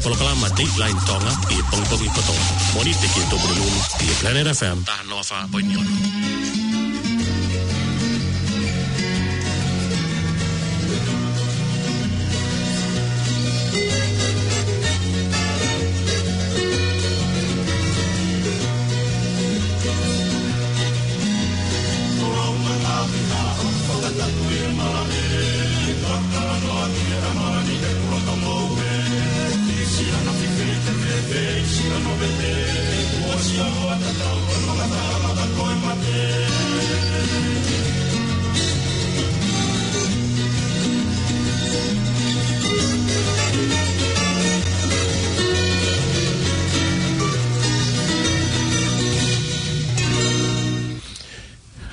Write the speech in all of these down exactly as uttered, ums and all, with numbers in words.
Polokalama Dateline Tonga ʻi he pongipongi kotoa. Mōnite ki he Tuʻapulelulu ʻi he Planet F M taha noa fā poini ono.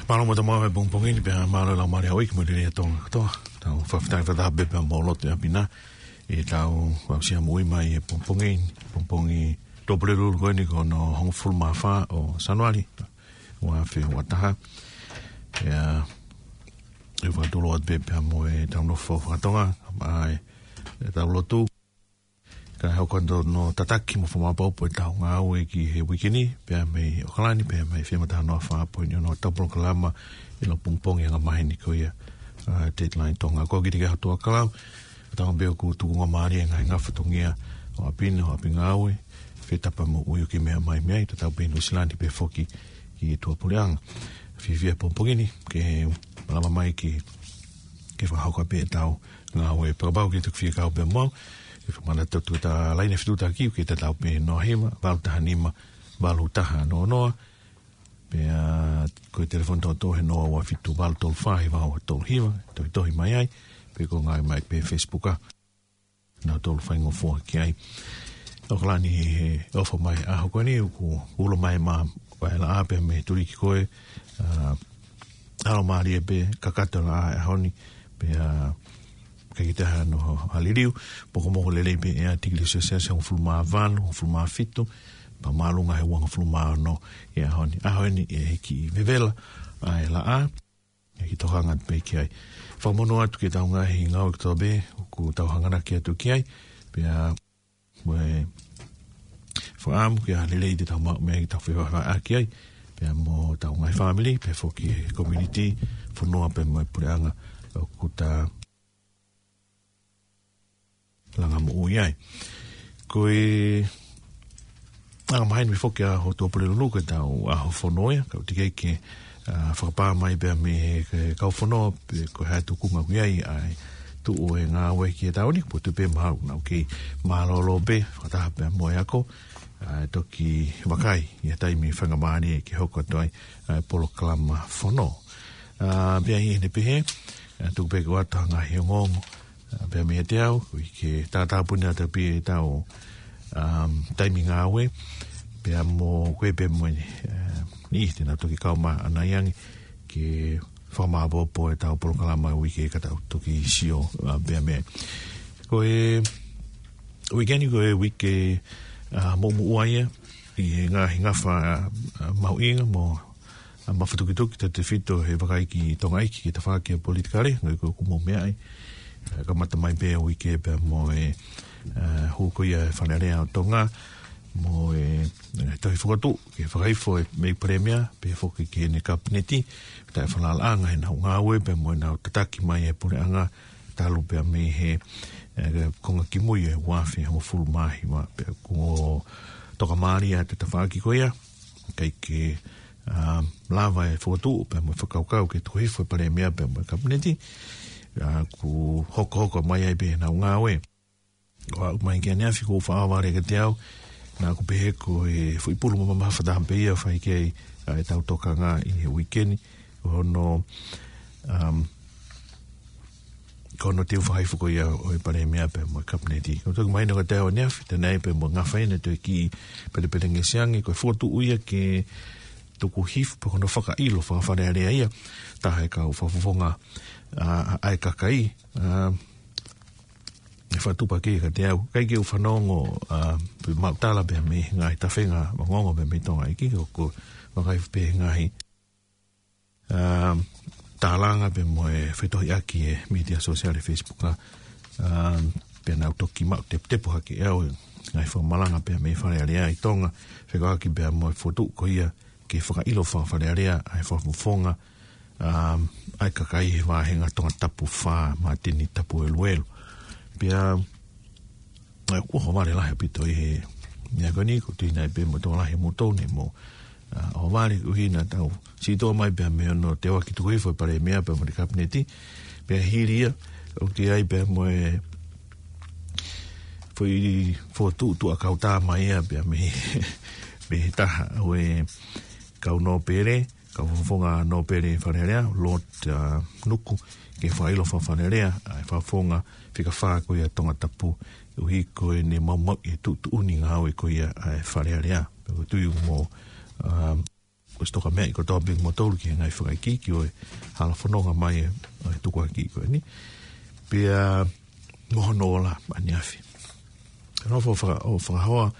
Mālō mo e tau maʻu he pongipongi ni pea mālō e laumālie ʻa e ʻEiki mo e lelei ʻa Tonga kotoa. Tau fakafetaʻi fakataha pē pea mo lotu ʻi ʻapi na. ʻI heʻetau aʻusia moʻui mai he pongipongi, pongipongi Tuʻapulelulu ko eni ko hono hongofulu mā fā ʻo Sānuali, ua afe ua taha. Pea, ʻe fakatulou atu pē pea mo e tau nofo faka-Tonga, ʻa e, ʻetau lotu. Kae hoko atu hono tataki mo fakamaʻopoʻopo ʻetau ngāue ki he uike ni, pea mei ʻAokalani, pea mei he F M taha noa fā poini ono ʻetau polokalama ʻi he pongipongi angamaheni ko ia, ʻa, Dateline Tonga. Ko au Kitike Hatuakalau, ʻoku ou tui pē ʻoku tukunga mālie e ngaahi fatongia ʻo ʻapi na, ʻo ʻapi ngāue, fetapa mo ui ʻoku ke meʻa mai mei ai, tatau pē ʻi Nuʻu Sila ni pea foki ki tuʻapuleʻanga. Fiefia he pongipongi ni, ke malava mai ke, ke fakahoko pē ʻetau ngāue. Pea kapau ʻoku ke toki fie kau pē mo au, ke fakamanatu atu ʻeta laine fetuʻutaki, ʻoku tatau pē noa hiva, valu taha nima, valu taha noa noa, pea ko e telefoni tōtō he noa ua fitu valu tolu fā hiva ua tolu hiva, tohitohi mai ai, pe ko e ngāue mai pē Facebook ʻa. Naʻa tolu faingofua ki ai. ʻAokalani he ʻofa mai ʻaho ko eni, ʻoku ulo mai mā, ʻa e laʻā pea mei he tuliki ko ē, ʻa, ʻalu mālie pē, kakato e laʻā he ʻaho ni, pea, ʻikai ke toe ʻi ai hano liliu, mokomoko lelei pē ʻa e tikili Selesiasi hongofulu mā valu, hongofulu mā fitu, pea māʻolunga he uangofulu mā ono ʻi he ʻaho ni. ʻAho ni ʻe hiki vevela ʻa e laʻā, ʻe hiki tokanga pē ki ai. Fakamonū atu ki heʻetau ngaahi ngāue kotoa pē, ʻoku tau hanganaki atu ki ai, pea mo e fakaʻamu ke ʻi ai ha lelei te tau maʻu mei ai ke tau fevahevaheʻaki ai, pea mo ʻetau ngaahi fāmili, pea foki he community, fonua pea mo e puleʻanga ʻoku ta langa moʻui ai. Ko e angamaheni mai foki ʻa e ʻaho Tuʻapulelulu ko ʻetau ʻaho fono ia, ka ʻoku teʻeki ke, ʻa, fakapā mai pea mei he, he kau fono, pe ko e hā e tuʻunga ʻoku ʻi ai ʻa e tuʻu e ngāue ki he taʻu ni, ʻoku ou tui pē mahalo naʻa ku kei mālōlō pē, fakataha pea mo e ako, ʻa, ʻe toki vakai ʻi ha taimi faingamālie ke hoko atu ai ʻa e polokalama fono. ʻA, pea ʻi heʻene pehē, ʻa, tuku pē ke u ʻoatu ha ngaahi ongoongo, ʻa, pea meiate au, koeʻuhi ke tātāpuni atu pē ʻetau, um, taimi ngāue, pea mo koe pea mo e, ʻa, niʻihi te nau toki kau mai ʻanai ange ke fakamaʻopoʻopo ʻetau polokalama uike ka tau toki sio, ʻa, pea mei ai. Ko e uike ni ko e uike, ʻa, muʻomuʻa ia, ʻi he ngaahi ngafa, ʻa, ʻa, mahuʻinga mo, ʻa, mafatukituki tautefito he vakai ki Tonga ʻEiki ki he tafaʻaki ʻa e politikale, ngaahi ko ʻoku mou meaʻi, ʻa, kamata mai pē uike pea mo e, ʻa, hū ko ia e Fale Alea ʻo Tonga, mo e, ʻa, tohi fokotuʻu, ke fakahifo ʻe he Palēmia, pea foki ki heʻene Kapineti, taʻefalalaʻanga heʻenau ngāue, pea mo ʻenau tataki mai e puleʻanga, talu pea mei he, ʻa, konga kimui e ua afe hongofulu mā hiva, pea kuo tokamālie ʻa e tafaʻaki ko ia, ʻikai ke, ʻa, lava e fokotuʻu, pea mo e fakakaukau ke tohi hifo e Palēmia, pea mo e Kapineti, ʻa, kuo hokohoko mai ai pē heʻenau ngāue. ʻO aʻu mai ki ʻaneafi ʻoku ou faʻa vale kiate au, naʻa ku pehē ko e foʻi pulu mamafa taha pē ia ʻe fai ki ai, ʻa, ʻetau tokanga ʻi he uike ni, ko hono, um, ko hono teu fakahifo ko ia ʻo e Palēmia pea mo e Kapineti. ʻOku ou toki mahino kiate au ʻaneafi, te nai pea mo e ngafa ʻeni ʻe toe kiʻi pelepelengesi ange, ko e fokotuʻu ia ke tuku hifo pea ko hono fakaʻilo faka-Fale Alea ia, taha e kau fakafofonga, ʻa, ʻa e kakai, ʻa, ʻe fakatupu hake kiate au, ʻikai ke u fanongo, ʻa, pe maʻu tala pea mei he ngaahi tafenga ongoongo pea mei Tonga ʻEiki, ʻoku vakai pē he ngaahi, ʻa, tālanga pea mo e fetohiʻaki e mītia sōsiale Facebook, ʻa, ʻa, pea nau toki maʻu teputepu hake ʻe au, ngaahi fakamalanga pea mei Fale Alea ʻi Tonga, fekauʻaki pea mo e fokotuʻu ko ia ke fakaʻilo faka-Fale Alea ʻa e fakafofonga, um, ʻa e kakai he vāhenga Tongatapu fā, Mātini Tapueluelu. Pea, ʻa, kuo ʻohovale lahi ʻaupito ʻi he meʻa ko eni, ʻoku ou tui nai pē mo e tokolahi ʻo moutolu ne mou, ʻa, ʻohovale, ʻuhinga naʻa tau sitoa mai pea mei hono teuaki tuku hifo ʻe he Palēmia pea mo e Kapineti, pea hili ia, ʻoku ʻi ai pea mo e foʻi fokotuʻu tuʻa kautā mai ia pea mei, mei he taha ʻo e kau nōpele, kau fakafofonga nōpele Fale Alea, Lord, ʻa, Nuku, ke fakaʻilo faka-Fale Alea ʻa e fakafofonga fika fā ko ia Tongatapu, ʻuhi ko ʻene maumauʻi e tuʻutuʻuni ngāue ko ia ʻa e Fale Alea. Pea ʻoku ou tui ʻoku mou, ʻa, ʻosi toka meʻa ʻi kotoa pē kimoutolu ki he ngaahi fakaikiiki ʻo e hala fononga mai ʻo e tukuakiʻi ko eni. Pea mo hono ola ʻaneafi. Nofo faka-, ʻo fakahoa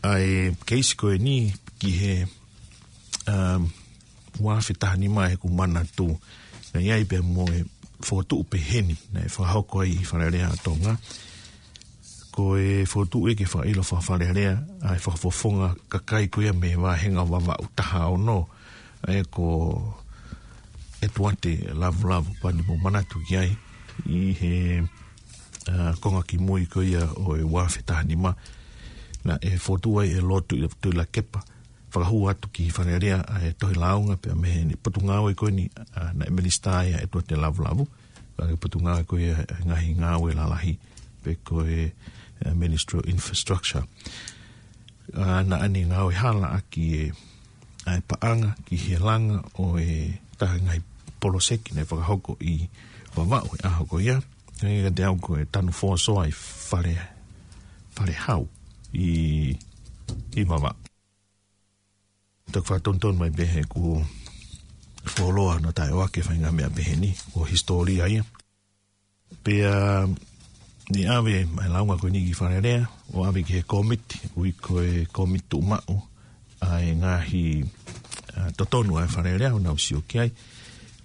ʻa e keisi ko eni ki he, um, ua afe taha nima he ʻoku ou manatu. Naʻe ʻi ai pea mo e fokotuʻu peheni naʻe fakahoko ai ʻi Fale Alea ʻa Tonga. Ko e fokotuʻu ia ke fakaʻilo faka-Fale Alea ʻa e fakafofonga kakai ko ia mei he vāhenga Vavaʻu taha ono, ʻa ia ko ʻEtuate Lavulavu, kapau te mou manatu ki ai, ʻi he, ʻa, konga kimui ko ia ʻo e ua afe taha nima, naʻe fokotuʻu ai ʻe Lord Tui-, Tuʻilakepa, fakahū atu ki Fale Alea ʻa e tohi lāunga pea mei he Potungāue ko eni, ʻa, naʻe minisitā ia ʻEtuate Lavulavu, ʻa e Potungāue ko ia ʻa e Ngaahi Ngāue Lalahi, pe ko e, ʻa, Ministry of Infrastructure. ʻA, naʻa ne ngāue hala ʻaki e, ʻa e paʻanga ki he langa ʻo e taha ngaahi poloseki naʻe fakahoko ʻi Vavaʻu he ʻaho ko ia. Hangē kiate au ko e tanu fōsoa ʻi Fale, Falehau ʻi, ʻi Vavaʻu. Toki fakatonutonu mai pē he kuo fuoloa hono taʻeʻoaki e faʻahinga meʻa peheni, ko e hisitōlia ia. Pea ne ʻave mai e lāunga ko eni ki Fale Alea, ʻo ʻave ki he kōmiti, ʻoku ui ko e Kōmiti Tuʻumaʻu ʻa e Ngaahi, ʻa, Totonu ʻa e Fale Alea, ʻo nau sio ki ai.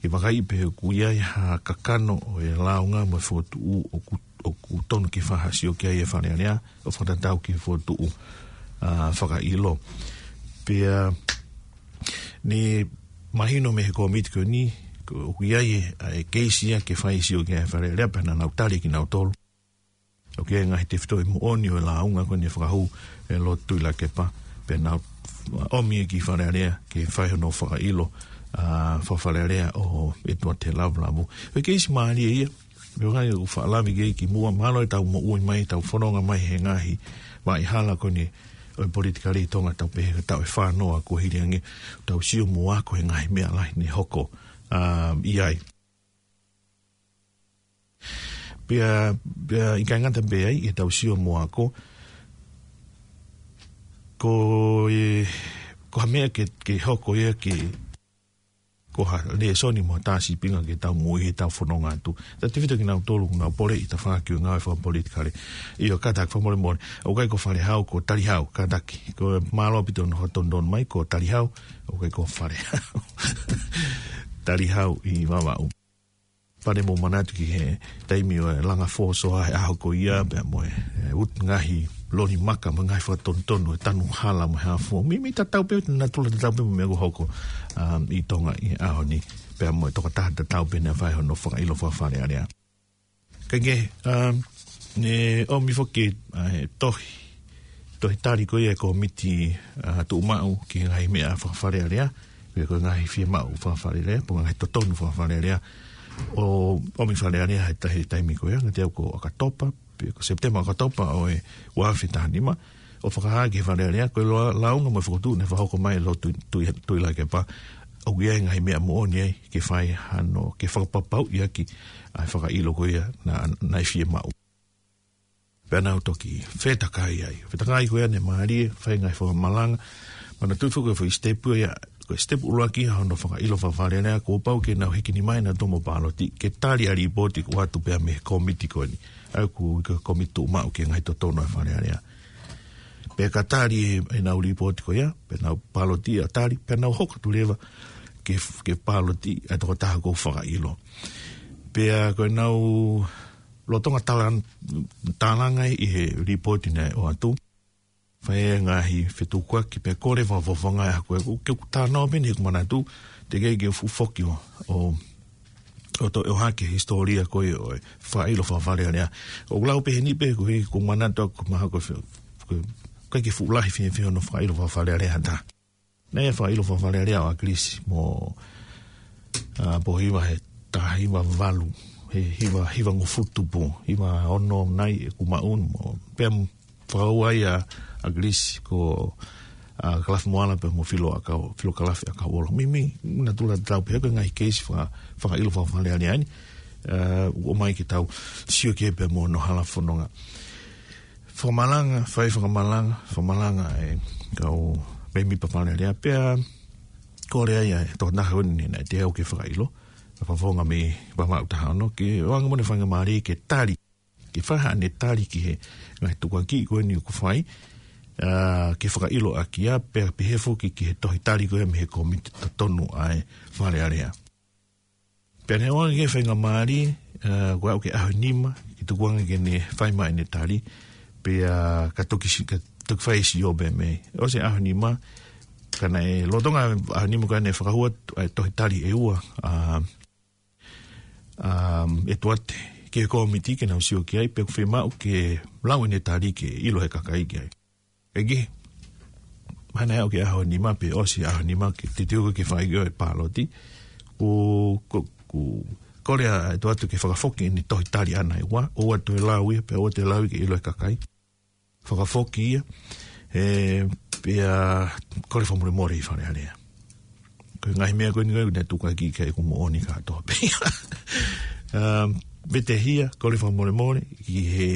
Ke vakaiʻi pe ʻoku ʻi ai ha kakano ʻo e lāunga mo e fokotuʻu ʻoku, ʻoku tonu ke fakasio ki ai e Fale Alea, ʻo fakatatau ki he fokotuʻu, ʻa, fakaʻilo. Pea ne mahino mei he kōmiti ko eni, ko, ʻoku ʻi ai e, ʻa e keisi ia ke fai e sio ki ai e Fale Alea, pea naʻa nau tali kinautolu ʻoku ʻi ai e ngaahi tefitoʻi moʻoni ʻo e lāunga ko eni fakahū ʻe Lord Tuʻilakepa, pea nau ʻomi ia ki Fale Alea ke fai hono fakaʻilo, ʻa, faka-Fale Alea ʻo ʻEtuate Lavulavu. Ko e keisi mālie ia, pea ʻoku ou fakaʻamu ke ʻi muʻa, mālō ʻetau moʻui mai, ʻetau fononga mai he ngaahi vaʻa hala ko eni ʻo e politikale ʻi Tonga, tau pehē ko e taʻu ʻe fā noa kuo hili ange, tau sio mo ako he ngaahi meʻa lahi ne hoko, ʻa, ʻi ai. Pea, pea ʻikai ngata pē ai, ʻetau sio mo ako, ko e, ko ha meʻa ke, ke hoko ia ke, ko ha lēsoni mo ha tā sīpinga ke tau moʻui he tau fononga atu. Tau tefito kinautolu ʻoku nau poleʻi tafaʻaki ʻo e ngāue fakapolitikale. ʻIo, kātaki fakamolemole. ʻOku ʻikai ko Falehau, ko Talihau, kātaki. Ko e mālō ʻaupito hono fakatonutonu mai, ko Talihau, ʻoku ʻikai ko Falehau. Talihau ʻi Vavaʻu. Pea mou manatu ki he taimi ʻo e langa fōsoa he ʻaho ko ia, pea mo e, e, utu ngaahi loli maka, mo e ngaahi fakatonutonu ʻo e tanu hala mo e hā fua. Meimei tatau pē, natula tatau pē mo e meʻa ʻoku hoko, um, ʻi Tonga ʻi he ʻaho ni. Pea mo e tokotaha tatau pē naʻe fai hono fakaʻilo faka-Fale Alea. Kae kehe, um, ne ʻomi foki, ʻa, e tohi, tohi tali ko ia e kōmiti, ʻa, tuʻumaʻu ki he ngaahi meʻa faka-Fale Alea, pe ko e ngaahi fiemaʻu faka-Fale Alea, pe ko e ngaahi totonu faka-Fale Alea, ʻo ʻomi ki Fale Alea he ta-, he taimi ko ia, ngati au ko ʻOkatopa, pe ko Sepitema ʻOkatopa ʻo e ua afe taha nima, ʻo fakahā ki Fale Alea, ko e lō-, lāunga mo e fokotuʻu naʻe fakahoko mai ʻe Lord Tui-, Tui-, Tuʻilakepa, ʻoku ʻi ai e ngaahi meʻa moʻoni ai ke fai hano, ke fakapapauʻi ʻaki ʻa e fakaʻilo ko ia naʻa, naʻe fiemaʻu. Pea nau toki fetakai ai. Fetakai ko ia ne mālie, fai ngaahi fakamalanga. Manatuʻi foki ko e foʻi sitepu ia, ko e sitepu ʻuluaki ia hono fakaʻilo faka-Fale Alea, kuo pau ke nau hiki nima ʻenau toʻo mo e pāloti, ke tali ʻa e lipooti kuo ʻoatu pea mei he kōmiti ko eni. ʻA ia ʻoku ui ko e kōmiti tuʻumaʻu ki he ngaahi totonu ʻa Fale Alea. Pea ka tali ʻe, ʻenau lipooti ko ia, pea nau pāloti ʻo tali, pea nau hoko atu leva ke, ke pāloti ʻa e tokotaha ʻoku fakaʻilo. Pea ko ʻenau Lolotonga talan-, talanga ʻi he lipooti naʻe ʻoatu, fai e ngaahi fetukuaki pea kole fakafofonga ʻe au ko ē, ke u talanoa pē ʻi heʻeku manatu, teʻeki ke u fuʻu foki ʻo, ʻo, ʻo toe ʻohake hisitōlia ko ē ʻo e fakaʻilo faka-Fale Alea. ʻOku ou lau pē heni pē koeʻuhi ko e manatu ʻaku mahalo ko e fe-, ko e, ʻikai ke fuʻu lahi fiefia hono fakaʻilo faka-Fale Alea ha taha. Naʻe fakaʻilo faka-Fale Alea ʻa ʻAkilisi mo, ʻa, Pōhiva he taha hiva valu, he hiva, hiva ngufutu pō, hiva ono nai ʻeku maʻu mo, pea m-, fakaua ia ʻa ʻAkilisi ko, ʻa, Kalafi Moala pea mo Filo ʻAkau, Filo Kalafi ʻAkauʻola. Mimi, natula tau pē ko e ngaahi keisi faka-, fakaʻilo faka-Fale Alea ni, ʻa, ʻoku ʻomai ke tau sio ki ai pea mo hono hala fononga. Fakamalanga, fai fakamalanga, fakamalanga e kau mēmipa Fale Alea pea kole ai ʻa e tokotaha ko eni naʻe teau ke fakaʻilo, fakafofonga mei Vavaʻu taha ono, ke ʻoange mo ʻene faingamālie ke tali, ke fai haʻane tali ki he ngaahi tukuakiʻi ko eni ʻoku fai, ʻa, ke fakaʻilo ʻaki ia, pea pehē foki ki he tohi tali ko ia mei he kōmiti totonu ʻa e Fale Alea. Pea naʻe ʻoange ki he faingamālie, ʻa, ko e aʻu ki he ʻaho ʻe nima, ke tukuange ke ne fai mai ʻene tali, pea ka toki si-, ka toki fai e sio pē mei. ʻOsi e ʻaho ʻe nima, ka naʻe lolotonga ʻaho ʻe nima ka naʻe fakahua ʻa e tohi tali ʻe ua, ʻa, ʻa, ʻe Tuate, ki he kōmiti ke nau sio ki ai, pea ʻoku fiemaʻu ke lau ʻene tali ke ʻilo he kakai ki ai. ʻEiki, mahalo naʻe aʻu ki he ʻaho ʻe nima pe ʻosi ʻaho ʻe nima ke titiuka ke fai ki ai e pāloti. Ko, ko, ko, kole ʻa e Tuate ke fakafoki ʻene tohi tali ʻana ʻe ua, ʻoua toe lau ia, pea ʻoua toe lau ia ke ʻilo he kakai. Fakafoki ia, ē, pea kole fakamolemole ʻi Fale Alea. Ko e ngaahi meʻa ko eni ko ē naʻe tukuakiʻi ki ai ʻoku moʻoni kātoa pē ia. Um, vetehia, kole fakamolemole, ki he,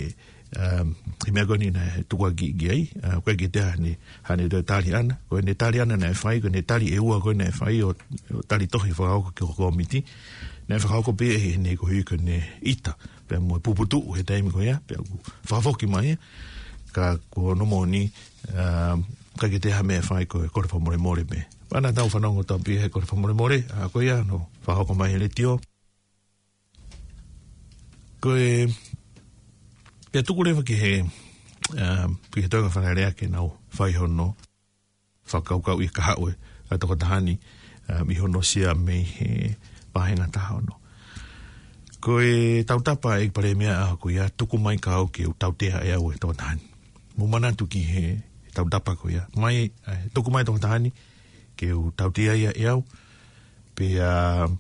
um, he meʻa ko eni naʻe tukuakiʻi ki ai, ʻa, ko e kiʻi tali, haʻane toe tali ʻana, ko ʻene tali ʻana naʻe fai, ko ʻene tali ʻe ua ko ē naʻe fai ʻo, ʻo tali tohi fakahoko ki he kōmiti, naʻe fakahoko pē ʻe heʻene koeʻuhi ko ʻene ʻita, pea mo e puputuʻu he taimi ko ia, pea ʻoku fakafoki mai ia, ka ko hono moʻoni, um, ʻikai ke toe ʻi ai ha meʻa ʻe fai ko e kole fakamolemole pē. Pea naʻa tau fanongo atu pē he kole fakamolemole, ʻa, ko ia naʻe fakahoko mai he letiō. Ko e, pea tuku leva ki he, um, ki he toenga Fale Alea ke nau fai hono fakakaukauʻi e kahaʻu ʻa e tokotaha ni, um, ʻi hono sea mei he vāhenga taha ono. Ko e tautapa ʻa e Palēmia ʻaho ko ia, tuku mai kau ke u tautea ʻe au e tokotaha ni. Mou manatu ki he tautapa ko ia. Mai, ē, tuku mai e tokotaha ni ke u tautea ia ʻe au, pea, ʻa,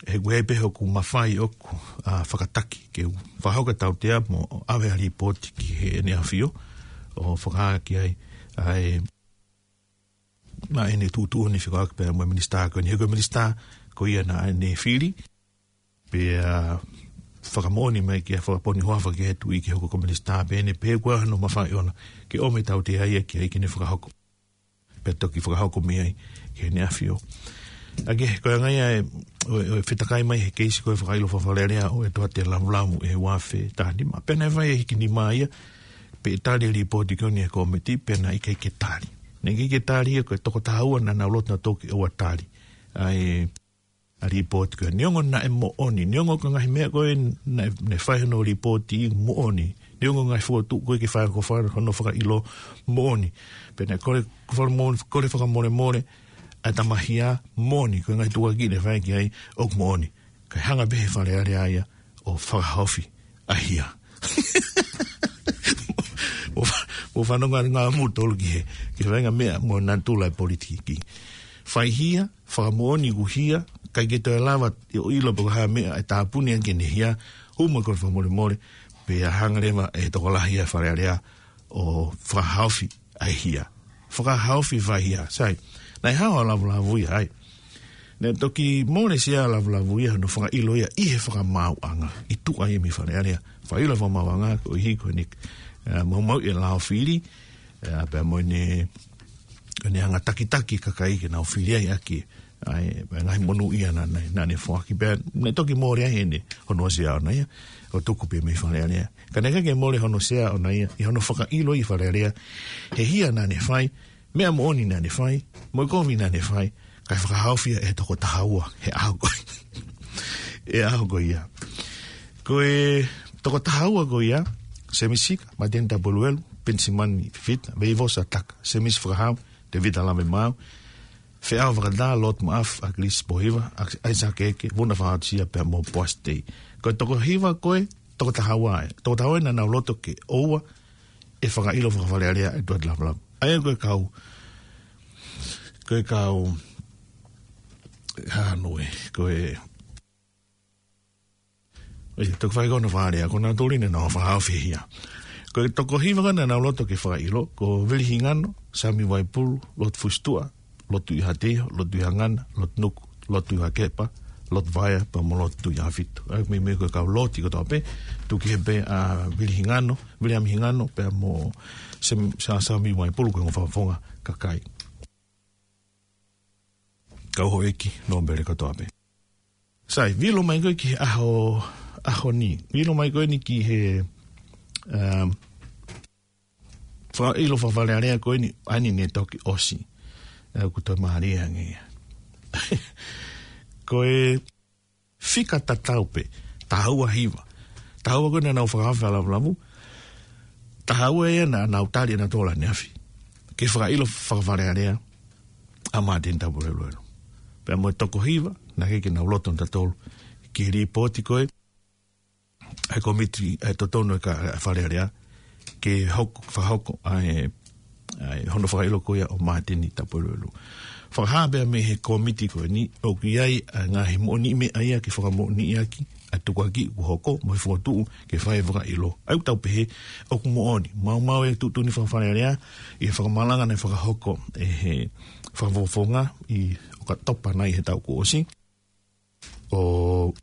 he ʻoku ʻi ai pē hoku mafai ʻoku, ʻa, fakataki ke u fakahoko e tautea mo ʻave ʻa e lipooti ki heʻene ʻAfio, ʻo fakahā ki ai ʻa e, ʻa ʻene tuʻutuʻuni fekauʻaki pea mo e minisitā ko eni, he ko e minisitā ko ia naʻa ne fili, pea fakamoʻoni mai ke fakaponi hoafa ki he Tuʻi ke hoko ko e minisitā, pea ne pehē ko e hā hono mafai ʻona ke ʻomai e tautea ia ki ai ke ne fakahoko. Pea toki fakahoko mei ai ki heʻene ʻAfio. ʻA ia, ko e anga ia ʻo e, ʻo e fetakai mai he keisi ko e fakaʻilo faka-Fale Alea ʻo e Tuate Lavulavu ʻi he ua afe taha nima. Pea naʻe fai e hiki nima ia, pea tali e lipooti ko eni ʻa e kōmiti, pea naʻe ʻikai ke tali. Naʻe ʻikai ke tali ia, ko e toko taha ua naʻa nau loto nautolu ke ʻoua tali ʻa e, ʻa e lipooti ko ē. Neongo naʻe moʻoni, neongo ko e ngaahi meʻa ko ē naʻe, naʻe fai hono lipooti moʻoni, neongo e ngaahi fokotuʻu ko ē ke fai ko e fai hono fakaʻilo moʻoni. Pea naʻe kole, ko e fakamoʻoni, kole fakamolemole ʻa e tamahia moʻoni, ko e ngaahi tukuakiʻi naʻe fai ki ai ʻoku moʻoni. Kae hanga pē he Fale Alea ia ʻo fakahaofi ʻa e hia. Mou fa-, mou fanongo ange mou tolu ki he, ki he faʻahinga meʻa mo e natula e politiki. Fai hia, fakamoʻoni ʻoku hia, ʻikai ke toe lava ʻo ʻilo pe ko e hā e meʻa ʻe tāpuni ange ki heʻene hia, hū mai e kole fakamolemole, pea hanga leva ʻe he tokolahi ʻa e Fale Alea ʻo fakahaofi ʻa e hia. Fakahaofi e faʻahi hia. Sai, naʻe hao ʻa Lavulavu ia ai. Naʻe toki mole ʻa Lavulavu ia hono fakaʻilo ia ʻi he fakamaauʻanga ʻi tuʻa ia mei Fale Alea. Fakaʻilo fakamaauʻanga koeʻuhi ko ʻene, ē, maumauʻi e lao fili, ē, pea mo ʻene, ʻene anga takitaki e kakai ke nau fili ai ʻaki ʻa e, ʻa e ngaahi monūʻia naʻa, naʻa, naʻa ne foaki, pea naʻe toki mole ai ʻene, hono sea ʻona ia, ʻo tuku pē mei Fale Alea. Ka naʻe ʻikai ke mole hono sea ʻona ia, ʻi hono fakaʻilo ʻi Fale Alea he hia naʻa ne fai, meʻa moʻoni naʻa ne fai, mo e kovi naʻa ne fai, kae fakahaofi ia ʻe he toko taha ua he ʻaho ko, he ʻaho ko ia. Ko e toko taha ua ko ia, Semisi Sika, Māteni Tapueluelu, Penisimani Fifita, Veivosa Taka, Semisi Fakahau, Tevita Lavemaau, Feʻao Fakatā, Lot Maaf, ʻAkilisi Pōhiva, ʻAisake Eke, Vuna Fakaʻatusia pea mo Poasi Tei. Ko e toko hiva ko e toko taha ua ē. Toko taha ua ē naʻa nau loto ke ʻoua ʻe fakaʻilo faka-Fale Alea ʻa e Tuʻa ʻi Lavulavu. ʻA ia ko e kau, ko e kau, hā nō ē, ko e ʻIo, toko fā ko ena Fale Alea, ko nautolu eni naʻa nau fakahaofi ia. Ko e toko hiva ko ena naʻa nau loto ke fakaʻilo, ko Vili Hingano, Sami Vaipulu, Lotu Fusituʻa, Lotu ʻi Haʻateiho, Lotu ʻi Hangana, Lotu Nuku, Lotu ʻi Hakepa, Lotu Vaea, pea mo Lotu ʻi Haʻafitu. ʻA ia meimei ko e kau loti kotoa pē, tuku kehe pē ʻa Vili Hingano, Viliami Hingano, pea mo Sem-, Sa-, Sami Vaipulu ko e ongo fakafofonga kakai. Kau houʻeiki nōpele kotoa pē. Sai, vilo mai ko ē ki he ʻaho, ʻaho ni. Vilo mai ko eni ki he, um, fakaʻilo faka-Fale Alea ko eni, ʻa eni naʻe toki ʻosi. ʻA ia ʻoku toe mālie ange ia. Ko e fika tatau pē, taha ua hiva. Taha ua ko ē naʻa nau fakahaofi ʻa Lavulavu. Taha ua ia naʻa nau tali ʻe nautolu ʻaneafi ke fakaʻilo faka-Fale Alea ʻa Māteni Tapueluelu. Pea mo e toko hiva, naʻe ʻikai ke nau loto nautolu ki he lipooti ko ē ʻa e kōmiti ʻa e totonu ʻa e ka-, ʻa e Fale Alea, ke hoko, fakahoko ʻa e, ʻa e hono fakaʻilo ko ia ʻo Māteni Tapueluelu. Fakahā pē mei he kōmiti ko eni, ʻoku ʻi ai ʻa e ngaahi moʻoniʻi meʻa ia ke fakamoʻoniʻi ʻaki ʻa e tukuakiʻi kuo hoko, mo e fokotuʻu ke fai e fakaʻilo. ʻA ia ʻoku tau pehē, ʻoku moʻoni, maumau e tuʻutuʻuni faka-Fale Alea, ʻi he fakamalanga naʻe fakahoko ʻe he fakafofonga ʻi ʻOkatopa nai he taʻu kuo ʻosi. ʻO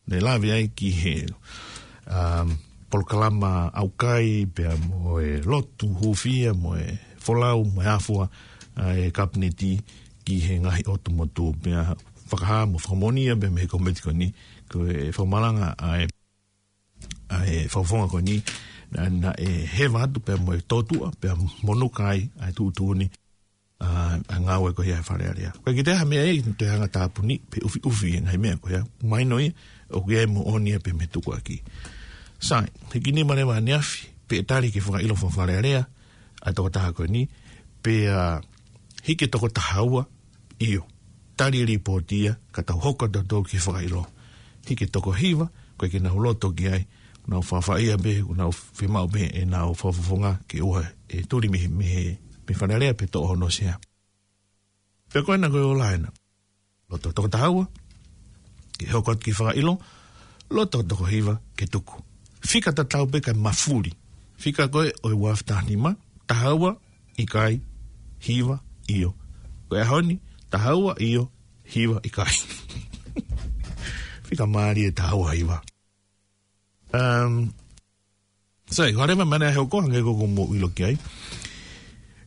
ne lave ai ki he, um, polokalama ʻaukai, pea mo e lotu hūfia, mo e folau, mo e afua ʻa e Kapineti ki he ngaahi ʻotu motu, pea fakahā mo fakamoʻoni ia pē mei he kōmiti ko eni, ko e fakamalanga ʻa e, ʻa e fakafofonga ko eni, naʻa, naʻe heva atu pea mo e tōtuʻa, pea monuka ai ʻa e tuʻutuʻuni ʻa, ʻa e ngāue ko ia ʻa e Fale Alea. Ko e kiʻi taha meʻa ia, toe hanga tāpuni, pe ʻufiʻufi e ngaahi meʻa ko ia. Mahino ia, ʻoku ʻi ai e moʻoni ia pē mei he tukuakiʻi. Sai, hiki nima leva ʻaneafi, pea tali ke fakaʻilo faka-Fale Alea ʻa e toko taha ko eni, pea hiki e toko taha ua, ʻio. Tali e lipooti ia, ka tau hoko atu tautolu ki he fakaʻilo. Hiki e toko hiva, ʻoku ʻikai ke nau loto ki ai, nau fafaʻia pē, nau fiemaʻu pē ʻenau fakafofonga ke ʻoua ʻe tuli mei, mei he, mei Fale Alea pe toʻo hono sea. Pea ko ena ko e ola ena. Loto toko taha ua ke hoko atu ki he fakaʻilo, loto toko hiva ke tuku. Fika tatau pē kae mafuli. Fika ko ē ʻo e ua afe taha nima, taha ua, ʻikai, hiva, ʻio. Ko e ʻaho ni, taha ua, ʻio, hiva, ʻikai. Fika mālie e taha ua hiva. Um, sai, ko e leva meʻa naʻe hoko hangē ko ʻoku mou ʻilo ki ai.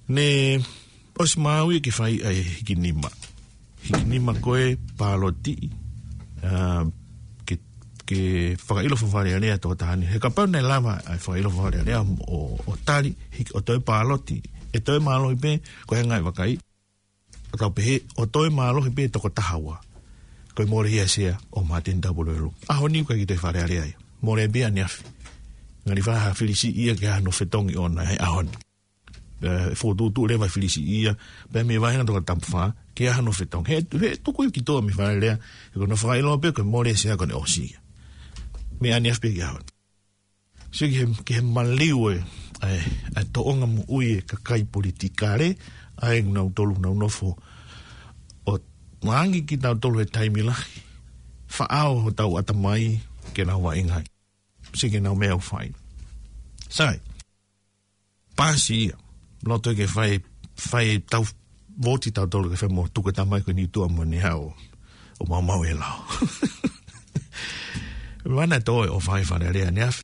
Ne ʻosi maau ia ke fai ʻa e hiki nima. Hiki nima ko e pāloti, um, ke, ke fakaʻilo faka-Fale Alea toko taha ni. He kapau naʻe lava ʻa e fakaʻilo faka-Fale Alea ʻo, ʻo tali, hiki, ʻo toe pāloti, ʻe toe mālohi pē, ko e ngaahi vakai. ʻO tau pehē, ʻo toe mālohi pē toko taha ua. Ko e mole ia e sea ʻo Māteni Tapueluelu. ʻAho ni ʻoku ʻikai ke toe Fale Alea ia. Mole pē ʻaneafi. Ngali fai ha filisiʻi ia ke ʻi ai hano fetongi ʻoʻona he ʻaho ni. ʻE, fokotuʻutuʻu leva e filisiʻi ia. Pea mei he vāhenga toko taha fā, ke ʻi ai hano fetongi. He, he tuku ia ki tuʻa mei Fale Alea. He ko hono fakaʻilo pē ko e mole e sea ko ʻene ʻosi ia. Mei ʻaneafi pē ki he ʻaho ni. Sio ki he, ki he maliu e, ʻa e, ʻa e tōʻonga moʻui e kakai politikale, ʻa ē nautolu nau nofo ʻo langi kitautolu he taimi lahi, faʻao hotau ʻatamai ke nau vaʻinga ai. Sio ki heʻenau meʻa ʻoku fai. Sai, pasi ia, loto ke fai, fai tau voti tautolu ke fai mo tuku e tamai ko eni tuʻa mo ne hao, ʻo maumau e lao. Mana tō e ʻofa ʻi Fale Alea ʻaneafi.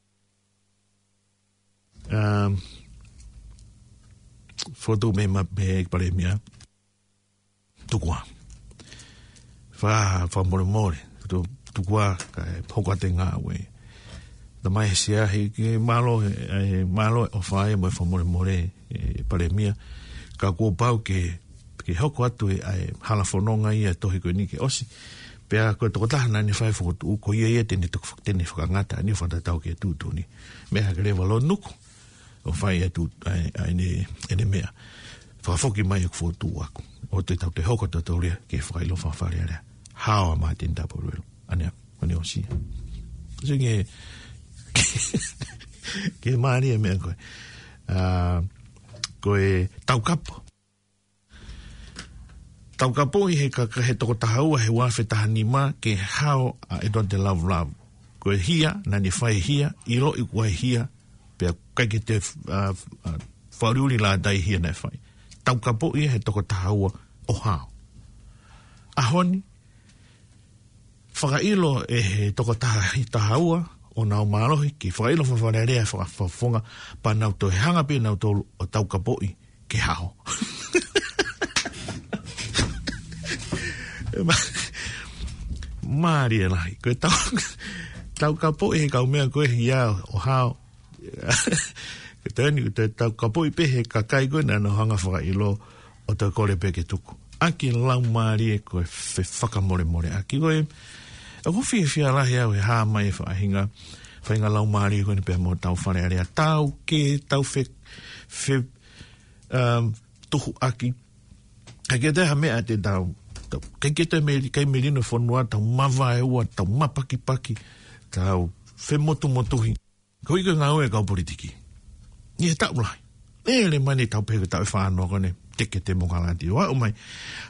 Um, fotu mei ma-, mei Palēmia. Tuku ā. Fa-, fakamolemole. Tu-, tuku ā, kae hoko atu e ngāue. Tamai he sea he ke mālō, e, mālō e ʻofa ia mo e fakamolemole, e, Palēmia. Ka kuo pau ke, ke hoko atu e, ʻa e hala fononga ia e tohi ko eni ke ʻosi. Pea ko e tokotaha naʻa ne fai e fokotuʻu, ko ia ia te ne toki fak-, te ne fakangata ʻene fakatatau ki he tuʻutuʻuni. Meʻa hake leva ʻo lōnuku ʻo fai e tuʻu, ʻa e, ʻa ʻene, ʻene meʻa. Fakafoki mai ʻeku fokotuʻu ʻaʻaku. ʻOua te tau toe hoko tautolu ia ki he fakaʻilo fakafalealea. Hao ʻa Māteni Tapueluelu. ʻAnea, ʻaneafi. Sio ki he, ki he mālie e meʻa ko ē. ʻA, ko e Taukapo. Taukapoʻi he ka-, ka-, he toko taha ua he ua afe taha nima ke hao ʻa ʻEtuate Lavulavu. Ko e hia, naʻa ne fai e hia, ʻiloʻi ko e hia, pea ʻikai ke toe, ʻa, ʻa, fakaʻuliʻuli lātai hia naʻe fai. Taukapoʻi he toko taha ua ʻo hao. ʻAho ni, fakaʻilo ʻe he toko taha, taha ua ʻo nau mālohi ke fakaʻilo fakafalealea e fakafofonga pea nau toe hanga pē nautolu ʻo taukapoʻi ke hao. Ma-, mālie lahi. Ko e tau-, taukapoʻi he kau meʻa ko e hia ʻo hao. Ko e taimi ni, ko e taukapoʻi pē he kakai ko ē naʻa nau hanga fakaʻilo ʻo toe kole pē ke tuku. ʻAki e laumālie ko e fefakamolemoleʻaki ko ē. ʻOku ou fiefia lahi au he hā mai e faʻahinga, faʻahinga laumālie ko eni pea mo hotau Fale Alea. Tau ke, tau fe-, fe-, um, tuhu ʻaki. ʻIkai ke toe ha meʻa te tau, tau, ʻikai ke toe meli-, ʻikai melino e fonua, tau mavaeua, tau mapakipaki, tau femotumotuhi. Ko e ʻuhi ko e ngāue e kau politiki. ʻI he taʻu lahi. ʻE lele mai eni, tau pehē ko e taʻu ʻe fā noa ko eni, teke temokalati. ʻO aʻu mai.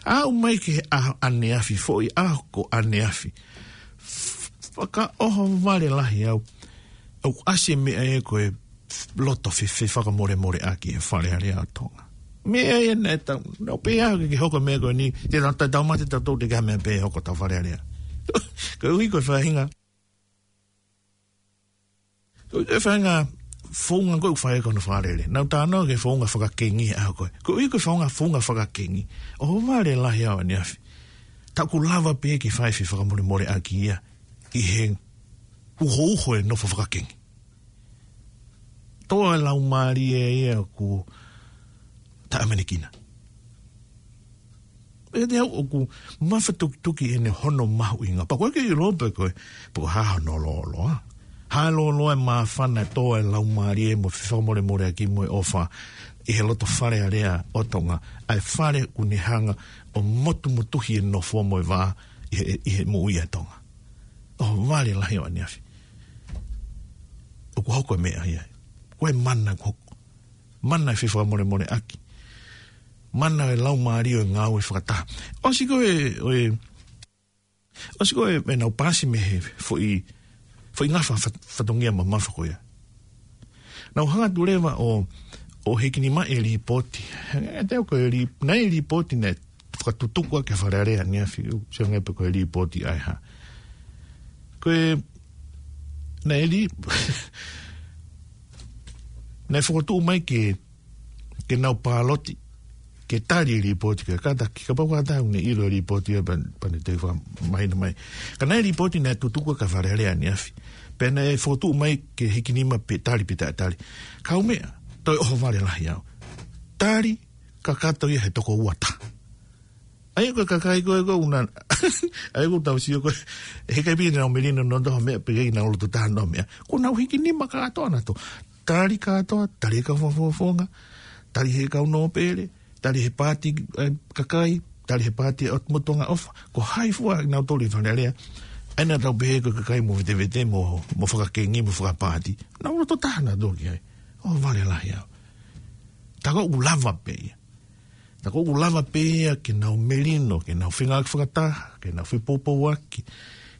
Aʻu mai ki he ʻaho ʻaneafi, foʻi ʻaho ko ʻaneafi. Fakaʻohovale lahi au. ʻOku ʻasi e meʻa ia ko e loto fe-, fefakamolemoleʻaki e Fale Alea ʻo Tonga. Meʻa ia naʻe tau, naʻa pē ʻaho ke, ke hoko e meʻa ko eni, te tau, tau, tau mate tautolu, ʻikai ha meʻa pē ʻe hoko ki hotau Fale Alea. Ko e ʻuhi ko e faʻahinga, ko e faʻahinga founga ko ē ʻoku fai ko ē hono fakalele. Naʻa ku talanoa ki he founga fakakengi he ʻaho ko ē. Ko e ʻuhi ko e founga, founga fakakengi. ʻOhovale lahi au ʻaneafi. Tā ʻoku lava pē ke fai e fefakamolemoleʻaki ia ʻi he uhouho e nofo fakakengi. Tō e laumālie ia ʻoku taʻeʻamanekina. ʻE te au ʻoku mafatukituki ʻene hono mahuʻinga. Pea ʻoku ʻikai ke ʻilo pe ko e, pe ko e hā hono lōloa. Hā e lōloa e māfana e tō e laumālie mo e fefakamolemoleʻaki mo e ʻofa ʻi he loto Fale Alea ʻo Tonga. ʻA e fale ʻoku ne hanga ʻo motumotuhi e nofo mo e vā ʻi he, ʻi he moʻui ʻa Tonga. ʻOhovale lahi au ʻaneafi. ʻOku hoko e meʻa ia. Ko e mana ʻoku hoko. Mana e fefakamolemoleʻaki. Mana e laumālie ʻo e ngāue fakataha. ʻOsi ko ē, ʻo e, ʻosi ko ē, ʻenau paasi mei he foʻi, foʻi ngafa fat-, fatongia mamafa ko ia. Naʻa ku hanga atu leva ʻo, ʻo hikinimaʻi e līpooti. ʻE te au ko e lī-, naʻe ʻi ai e līpooti naʻe fakatutuku ʻaki e Fale Alea ʻaneafi, ʻoku ou sio ange pe ko e līpooti ʻa e hā. Ko e, naʻe lī-, naʻe fokotuʻu mai ke, ke nau pāloti, ke tali e līpooti, ke kātaki, kapau kātaki ʻoku ne ʻilo e līpooti ia pea, pea ne toe fakamahino mai. Ka naʻe ʻi ai e līpooti naʻe tutuku ʻaki e Fale Alea ʻaneafi. Pea naʻe fokotuʻu mai ke hikinima pe tali pe taʻetali. Kaumeʻa, toe ʻohovale lahi au. Tali, kakato ia he toko ua taha. ʻA ia ko e kakai ko ē ʻoku na, ʻa ia ʻoku tau sio ko ē, heʻikai pē ke nau melino nautolu ha meʻa pe ʻikai ke nau loto taha nautolu ha meʻa. Kuo nau hikinima kātoa nautolu. Tali kātoa, tali he kau fakafofonga, tali he kau nōpele, tali he paati, ē, kakai, tali he paati ʻo e Motuʻanga ʻOfa. Ko hai fua nautolu ʻi Fale Alea. ʻA ia naʻa tau pehē ko e kakai movetevete, mo, mo fakakengi, mo fakapaati. Nau loto taha nautolu ki ai. ʻOhovale lahi au. Tā ko ē ʻoku lava pē ia. Tā ko ē ʻoku lava pē ia ke nau melino, ke nau fengāueʻaki fakataha, ke nau fepoupouaki,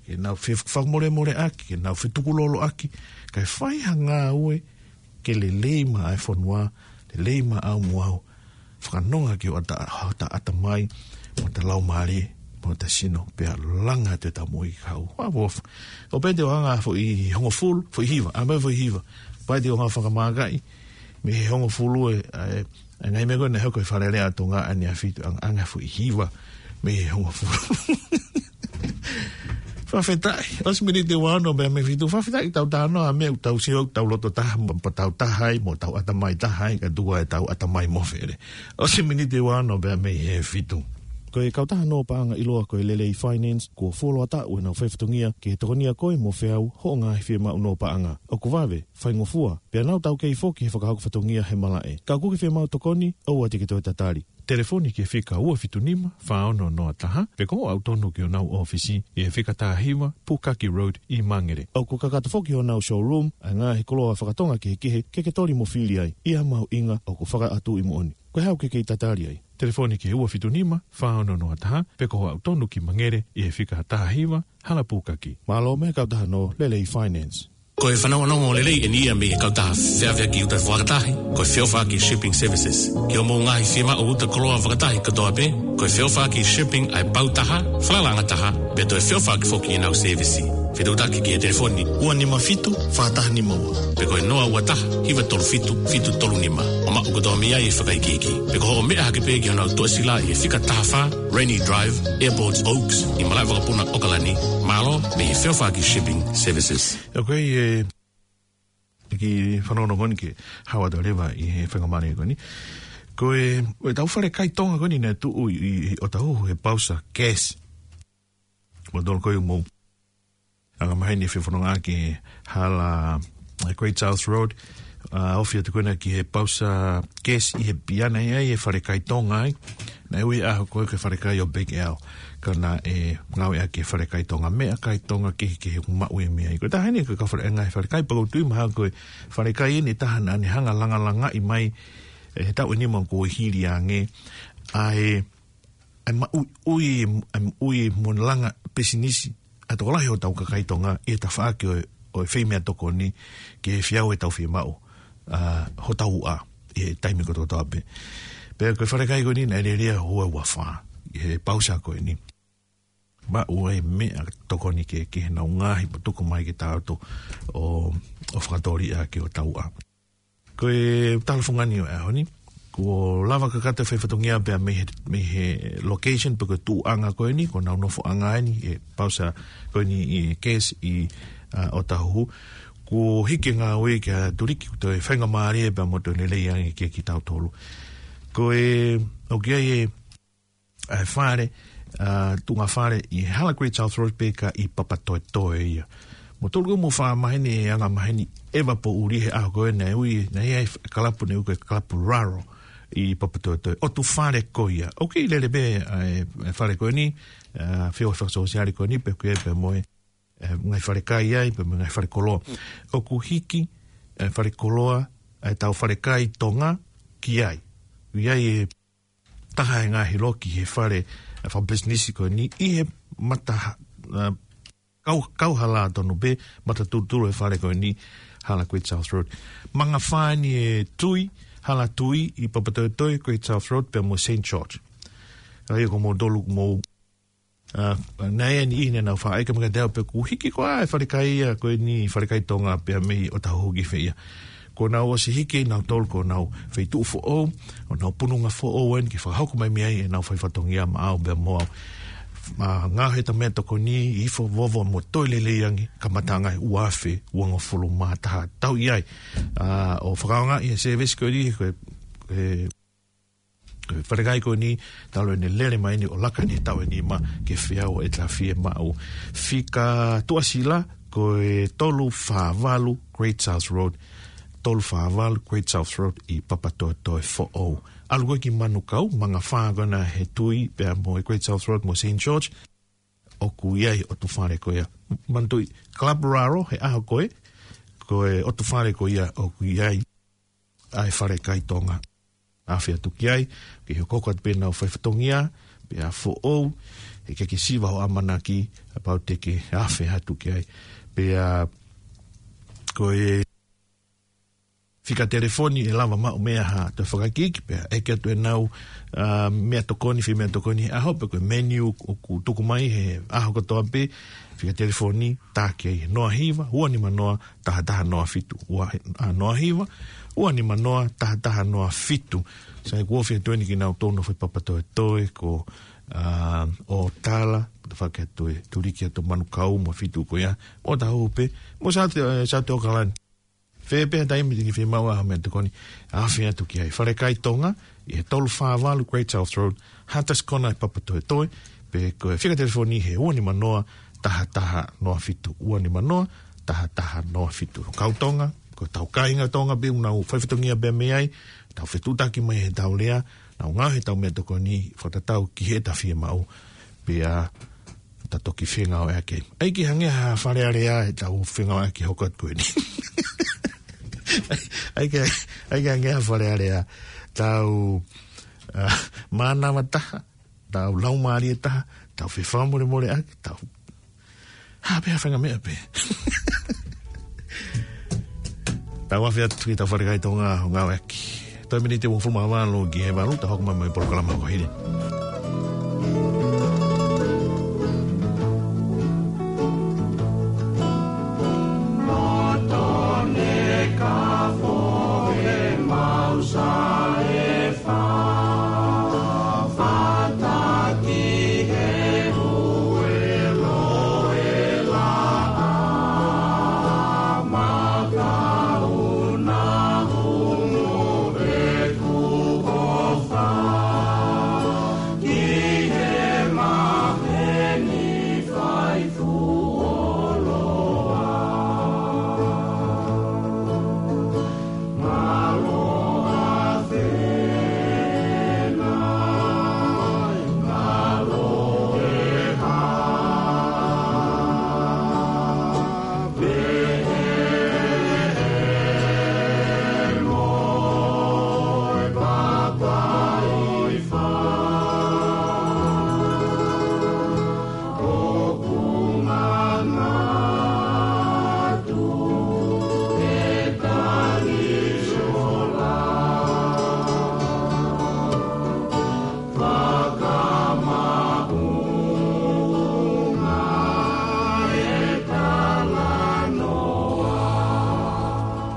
ke nau fefakamolemoleʻaki, ke nau fetukuloloʻaki, kae fai ha ngāue ke lelei maʻa e fonua, lelei maʻau mo au, fakanonga ki hota, hota ʻatamai, mo hota laumālie, mo hota sino, pea langa atu ʻetau moʻui kahaʻu. Ua vof. ʻO pehē te u ʻoange ha foʻi hongofulu, foʻi hiva, ʻa mai foʻi hiva. Pea te u ʻoange ha fakamākaʻi, mei he hongofulu e, ʻa e, ʻa e ngaahi meʻa ko ē naʻe hoko ʻi Fale Alea ʻo Tonga ʻaneafi, ʻoange, ʻoange ha foʻi hiva mei he hongofulu. Fakafetaʻi, ʻosi miniti ʻe ua ono pea mei he fitu, fakafetaʻi tau talanoa, meʻa ʻoku tau sio, tau loto taha, mo tau taha ai, mo tau ʻatamai taha ai, ka tuku ʻetau ʻatamai mofele. ʻOsi miniti ʻe ua ono pea mei he fitu. Ko e kautaha nō paʻanga ʻiloa ko e Lelei Finance, kuo fuoloa taʻu ʻenau faifatongia ke tokonia koe mo feau hoʻo ngaahi fiemaʻu nō paʻanga. ʻOku vave, faingofua, pea nau taukei foki he fakahoko fatongia he malaʻe. Ka ʻoku ke fiemaʻu tokoni, ʻoua te ke toe tatali. Telefoni ki he fika ua fitu nima, fā ono noa taha, pe ko hoʻo aʻu tonu ki honau ʻōfisi, ʻi he fika taha hiva, Pukaki Road, ʻi Mangere. ʻOku kakato foki honau showroom, ʻa e ngaahi koloa fakatonga kehekehe, ke ke toli mo fili ai, ʻi ha mahuʻinga ʻoku fakaʻatu ʻi moʻoni. Ko e hā ʻoku ke kei tatali ai? Telefoni ki he ua fitu nima, fā ono noa taha, pe ko hoʻo aʻu tonu ki Mangere, ʻi he fika taha hiva, Hala Pukaki. Mālō mei he kautaha nō Lelei Finance. Ko e fanongonongo lelei eni ia mei he kautaha feʻaveʻaki uta fakatahi, ko e Feʻofaʻaki Shipping Services. Ki hoʻomou ngaahi fiemaʻu uta koloa fakatahi kotoa pē, ko e Feʻofaʻaki Shipping ʻa e pau taha, falalaʻanga taha, pea toe feʻofaʻaki foki ʻenau sēvisi. Fetuʻutaki ki he telefoni ua nima fitu, fā taha nima ua. Pe ko e noa ua taha, hiva tolu fitu, fitu tolu nima. ʻO maʻu kotoa mei ai e fakaikiiki. Pe ko hoʻo meʻa hake pē ki honau tuʻasila ʻi he fika taha fā, Rainy Drive, Airport Oaks, ʻi malaʻe vakapuna ʻAokalani, mālō mei he Feʻofaʻaki Shipping Services. Ok, e, ki fanongonongo ni ke hau atu leva ʻi he faingamālie ko eni. Ko e, ko e tau fale kai Tonga ko eni naʻe tuʻu ʻi, ʻi, ʻi ʻOtahuhu he pausa gas. Mo tolo ko e mo anga maheni e fefononga ki he hala, e Great South Road, ʻa, ofi atu ko ena ki he pausa gas ʻi he piana ia ʻi he fale kai Tonga ai. Naʻe ui ʻaho ko ē ko e fale kai ʻo Big Al. Ka naʻe ngāueʻaki e fale kai Tonga, meʻakai Tonga kehekehe ʻoku maʻu e meʻa ai. Ko e taha eni ko e kau fale, e ngaahi fale kai, pea ʻoku ou tui mahalo ko e fale kai eni taha naʻa ne hanga langalangaʻi mai, e, he taʻu ʻe nima kuo hili ange. ʻA e, ʻa e maʻuiʻui, ʻa e maʻuiʻui mo e langa pisinisi ʻa e tokolahi ʻo hotau kakai Tonga ʻi he tafaʻaki ʻo e, ʻo e fai meʻatokoni ki he feau ʻetau fiemaʻu, ʻa, hotau uʻa ʻi he taimi kotoa pē. Pea ko e fale kai ko eni naʻe lele ia ʻi he ua ua fā, ʻi he pausa ko eni. Maʻu ai meʻatokoni kehekehe ʻenau ngaahi pea tuku mai ke tau ō ʻo, ʻo fakatōliʻa ki hotau uʻa. Ko e tala fungani ʻo e ʻaho ni, kuo lava kakato e faifatongia pea mei he, mei he location pe ko e tuʻuʻanga ko eni, ko honau nofoʻanga eni, e pausa ko eni ʻi he gas ʻi, ʻa, ʻOtahuhu. Kuo hiki e ngāue kia Tuliki, kuo toe faingamālie pea mo toe lelei ange kia kitautolu. Ko e, ʻoku ʻi ai e, ʻa e fale, ʻa, tuʻunga fale ʻi he hala Great South Road pea ka ʻi Papatoetoe ia. Mo tolu ko mo fā maheni e anga maheni ʻeva poʻuli he ʻaho ko ē naʻe ui, naʻe ʻi ai e kalapu naʻe ui ko e kalapu Raro ʻi Papatoetoe. ʻOtu fale ko ia. ʻOku kei lele pē, ʻa e, e fale ko eni, ʻa, feʻofaʻaki sōsiale ko eni, pea ʻoku ʻi ai pē mo e, e, ngaahi fale kai ai, pea mo e ngaahi fale koloa. ʻOku hiki, e, fale koloa, e tau fale kai Tonga ki ai. ʻI ai e taha e ngaahi loki he fale, e, fakapisinisi ko eni ʻi he mata, e, kau, kauhala tonu pē, mata tulutulu e fale ko eni, hala Great South Road. Manga fā eni e Tui, hala Tui ʻi Papatoetoe, Great South Road, pea mo Saint George. ʻA ia ko mo tolu mo, ʻa, naʻe ʻi ai e niʻihi naʻa nau faʻa ʻeke mai kiate au pe ʻoku hiki koā e fale kai ia ko eni fale kai Tonga pea mei ʻOtahuhu ki fē ia. Kuo nau ʻosi hiki ʻe nautolu ko honau feituʻu foʻou, ʻo nau pununga foʻou eni ke fakahoko mai mei ai ʻenau faifatongia maʻau pea mo au. ʻA, ngāue he tau meʻatokoni, ifo vovo mo toe lelei ange, kamataʻanga ʻi he ua afe uangofulu mā taha tau ʻi ai. ʻA, ʻo fakaʻaongaʻi e sēvesi ko eni, ko e, ko e fale kai ko eni, talu ʻene lele mai eni ʻo laka eni he taʻu ʻe nima ki he feau ʻe taha fiemaʻu. Fika tuʻasila, ko e tolu fā valu Great South Road, tolu fā valu Great South Road ʻi Papatoetoe foʻou. ʻAlu ko ē ki Manukau, manga fā ko ena he Tui, pea mo e Great South Road mo Saint George, ʻoku ʻi ai ʻotu fale ko ia. Manatuʻi, Club Raro, he ʻaho ko ē, ko e ʻotu fale ko ia ʻoku ʻi ai ʻa e fale kai Tonga. Afe atu ki ai, ke hokohoko atu pē ʻenau faifatongia, pea foʻou, he ke ke siva hoʻo ʻamanaki, kapau te ke afe atu ki ai. Pea ko e fika telefoni ʻe lava maʻu mei ai ha toe fakaikiiki pea ʻeke atu ʻenau, ʻa, meʻatokoni, fai meʻatokoni he ʻaho pe ko e menu ʻoku tuku mai he ʻaho kotoa pē, fika telefoni, tā ki ai he noa hiva, ua nima noa, taha taha noa fitu, ua, ʻa, noa hiva, ua nima noa, taha taha noa fitu. Sai kuo fie tueni kinautolu ʻi Papatoetoe ko, ʻa, ʻo Tala, tafaʻaki atu ʻe Tuliki atu Manukau mo e feituʻu ko ia, ʻOtahuhu pē, mo South, ʻe, South ʻAokalani. Fē pē ha taimi te ke fiemaʻu ai ha meʻatokoni, afe atu ki ai. Falekai Tonga, ʻi he tolu fā valu Great South Road, Hunters Corner ʻi Papatoetoe, pe ko e fika telefoni he ua nima noa, taha taha noa fitu, ua nima noa, taha taha noa fitu. Kau Tonga, ko ʻetau kāinga Tonga pē ʻoku nau fai fatongia pē mei ai, tau fetuʻutaki mai he tau lea, nau ngāue he tau meʻatokoni, fakatatau ki heʻeta fiemaʻu, pea ta toki fengāueʻaki. ʻAi ke hangē ha Fale Alea ʻetau fengāueʻaki hoko atu ko eni. ʻAi ke, ʻai ke hangē ha Fale Alea. Tau, ah, mānava taha, tau laumālie taha, tau fefakamolemoleʻaki, tau. Ha, pea fenga meʻa pē. Tau afe atu ki heʻetau Falekai Tonga ʻo ngāueʻaki. Toe miniti ʻe uofulu mā valu ki he valu, tau hoko mai mo e polokalama ko hili.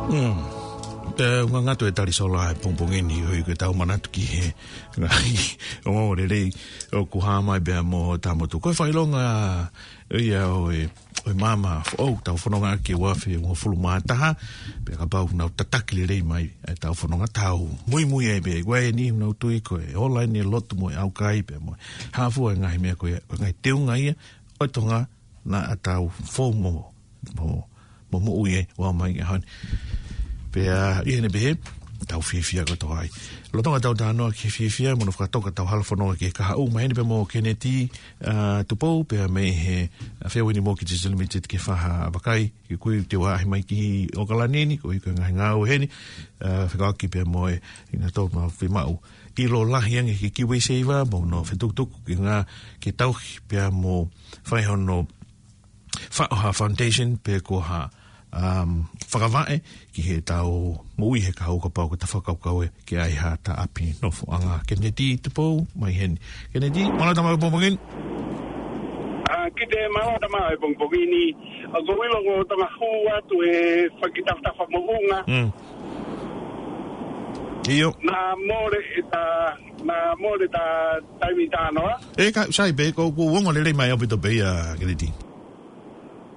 Mm. Te u ngangatu e tali sola he pongipongi ni, ʻoku ʻikai ke tau manatu ki he ngaahi ongoongo lelei ʻoku hā mai pea mo Tamotu. Ko e fakaʻilonga ia ʻo e, ʻo e maama foʻou, tau fononga ki he ua afe uofulu mā taha, pea kapau nau tataki lelei mai ʻetau fononga, tau muimui ai pē, ʻoku ʻi ai e niʻihi ʻoku nau tui ko e ola eni e lotu mo e ʻaukai pea mo e hā fua e ngaahi meʻa ko ia, ko e ngaahi teunga ia ʻo e Tonga naʻa tau fou mo, mo, mo moʻui ai ʻo aʻu mai ki he ʻaho ni. Pea ʻi heʻene pehē, tau fiefia kotoa ai. Lolotonga ʻetau talanoa ki he fiefia, mo hono fakatoka ʻetau hala fononga ki he kahaʻu, maheni pea mo Keneti, ʻa, Tupou, pea mei he, ʻa, Feua ni mo ki Digital Limited ki he faha vakai, ki he kui te u ʻaʻahi mai ki ʻOkalani ni, koeʻuhi ko e ngaahi ngāue heni, ʻa, fekauʻaki pea mo e, ʻi he tau mau fiemaʻu ʻilo lahi ange ki he KiwiSaver, mo hono fetukutuku ki he ngaahi, ki he tauhi pea mo fai hono faʻo ha foundation pe ko ha, um, fakavaʻe ki heʻetau moʻui he kahaʻu kapau ko ʻeta fakakaukau ē ke ʻi ai haʻata ʻapi nofoʻanga. Keneti Tupou, mai heni. Keneti, mālō e tau maʻu e pongipongi ni. ʻA, Kite, mālō e tau maʻu e pongipongi ni. ʻOku ou ʻilo ko e Tonga hū atu e fakatafatafa moʻunga. Mm. ʻIo. Naʻa mole ʻeta, naʻa mole ʻeta taimi talanoa. ʻE ka, sai pē, ko, ko e ongo lelei mai ʻaupito pē ia, Keneti.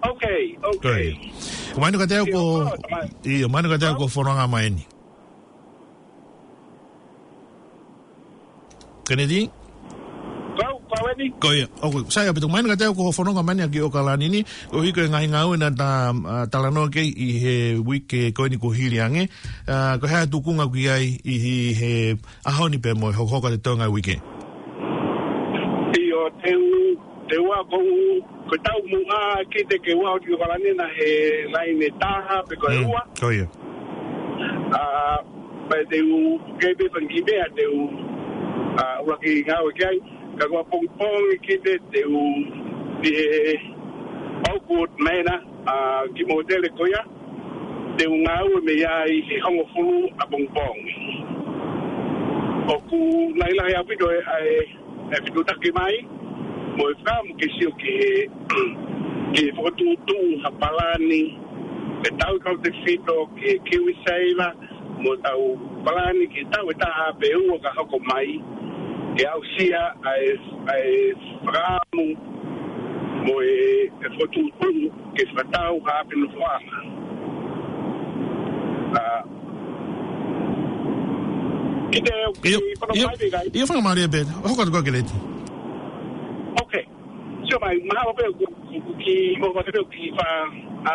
Ok, ok. Ko ia. Mahino kiate au ko, ʻio, ko, ʻio, mahino kiate au ko e fononga mai eni. Keneti? Kau, kau eni? Ko ia. Ok, sai ʻaupito, mahino kiate au ko e fononga mai eni ki ʻOkalani ni, koeʻuhi ko e ngaahi ngāue naʻa ta, ʻa, talanoa ki ai ʻi he uike ko eni kuo hili ange. ʻA, ko e hā e tūkunga ʻoku ʻi ai ʻi he, he ʻaho ni pea mo e hokohoko atu e ngaahi uike? ʻIo, te u, te u ʻa ko u, ko ʻetau muʻa Kite ke u ʻalu ki ʻOkalani naʻe he laine taha pe ko e ua. Mm, ko ia. ʻA, pea te u, kei pē fanga kiʻi meʻa te u, ʻa, ʻuluaki ngāue ki ai. Ka ko ʻapongipongi Kite te u, ʻi he Oakwood Manor, ʻa, kiʻi mōtele ko ia, te u ngāue mei ai he hongofulu ʻapongipongi. ʻOku lahilahi ʻaupito e, ʻa e, e fetuʻutaki mai, mo e fakaʻamu ke sio ki he, ki he fokotuʻutuʻu ha palani, ke tau kautefito ki he KiwiSaver, mo ʻetau palani ke tau e taha pe ua ka hoko mai, ke aʻusia ʻa e, ʻa e fakaʻamu mo e, e fokotuʻutuʻu ke fakatau ha ʻapi nofoʻanga. Kita ʻio, ki ʻio, ʻio, fai pē kai. ʻIo, fakamālō pē. Hoko atu koe Keneti. Ok. Sio mai, mahalo pē ʻoku, ʻoku, ʻoku ki, mo pate pē ʻoku ki fa, a,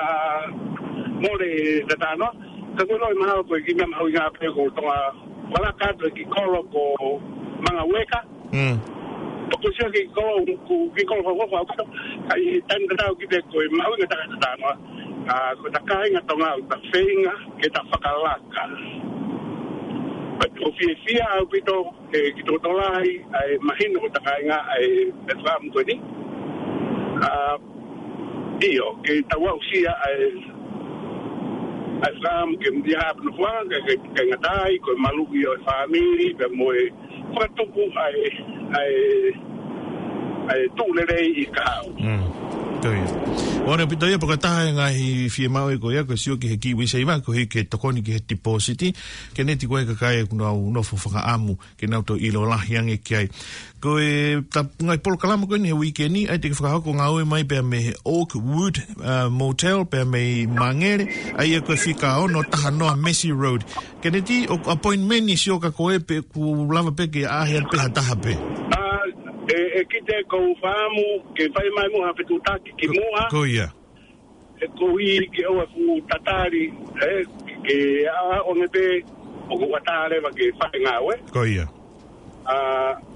mole tatano. Ka ko e loi mahalo ko e kiʻi meʻa mahuʻinga pē ko Tonga, vala kato ki kolo ko Mangaueka. Mm. Poko sio ki kolo, ku, ki kolo ko, ko, ko, ko, ka ʻi he taimi tatau ki te ko e mahuʻinga taka tatano. A, ko ta kāinga Tonga, ta feinga, ke ta fakalaka. But ʻoku fiefia ʻaupito, e, ki tokotolahi, ʻa e mahino ko ta kāinga, ʻa e, e faamu ko eni. A, ʻio, ke tau aʻusia, ʻa e, ʻa e faamu ke mutia hapa no fua, ke, ke, ke ngatai, ko e maluʻi ʻo e fāmili, pea mo e, fakatupu, ʻa e, ʻa e, ʻa e tuʻu lelei ʻi kahaʻu. Mm. Ko ia. ʻOku ʻaupito ia, pea ko e taha e ngaahi fiemaʻu ʻe ko ia, ko e sio ki he KiwiSaver, ko e hiki e tokoni ki he tipōsiti, Keneti ko e kakai ʻoku nau nofo fakaʻamu, ke nau toe ʻilo lahi ange ki ai. Ko e ta-, ngaahi polokalama ko eni he uike ni, ʻai te ke fakahoko ngāue mai pea mei he Oakwood, uh, Motel, pea mei Mangere, ʻa ia ko e fika ono taha noa Massey Road. Keneti, ʻoku appointment ni sio ka ko e pe ʻoku lava pē ke ʻaʻahi atu pē ha taha pē. A, e, e kite ko u faamu, ke fai mai mo ha fetuʻutaki ki muʻa. Ko ia. E ko i ke ʻoua ʻe fuʻu tatali, e, ke ʻaʻau ange pē, ʻoku ʻatā leva ke fai ngāue. Ko ia. A,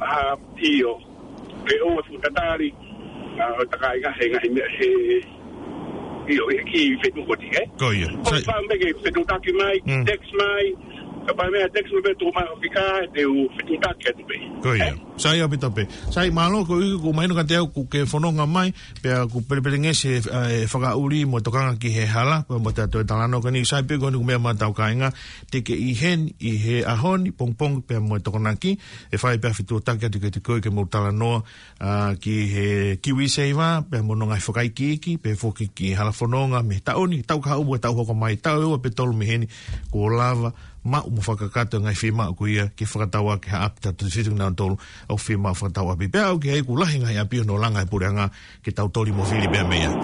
a, ʻio. Ke ʻoua ʻe fuʻu tatali, a, ʻo ta kāinga he ngaahi meʻa, he, ʻio, he kiʻi fetuʻutaki, e? Ko ia. Ko sai- fai mai ke fetuʻutaki mai, Mm. text mai, ka fai mai text mai pē tuku mai ʻo fika, te u fetuʻutaki atu pē. Ko ia. E? Sai ʻaupito pē. Sai mālō ko i ku mahino ka te au ku ke fononga mai, pea ʻoku pelepelengesi e, e fakaʻuli mo e tokanga ki he hala, pea mo e toe talanoa ko eni, sai pē ko eni ko e meʻa maʻa hotau kāinga, te ke ʻi heni, ʻi he ʻaho ni, pongipongi, pea mo e Tokonaki, ʻe fai pē ha fetuʻutaki atu kiate koe ke mou talanoa, a, ki he KiwiSaver, pea mo hono ngaahi fakaikiiki, pea foki ki he hala fononga, mei he taʻu ni, taʻu kahaʻu mo e taʻu hoko mai, taʻu ʻe ua pe tolu mei heni, kuo lava, maʻu mo fakakakato e ngaahi fiemaʻu ko ia, ke fakatau ʻaki ha ʻapi tautefito kinautolu, ʻoku fiemaʻu fakatau ʻapi. Pea ʻoku ʻi ai ʻoku lahi e ngaahi ʻapi hono langa ʻe he puleʻanga, ke tau toli mo fili pea mei ai.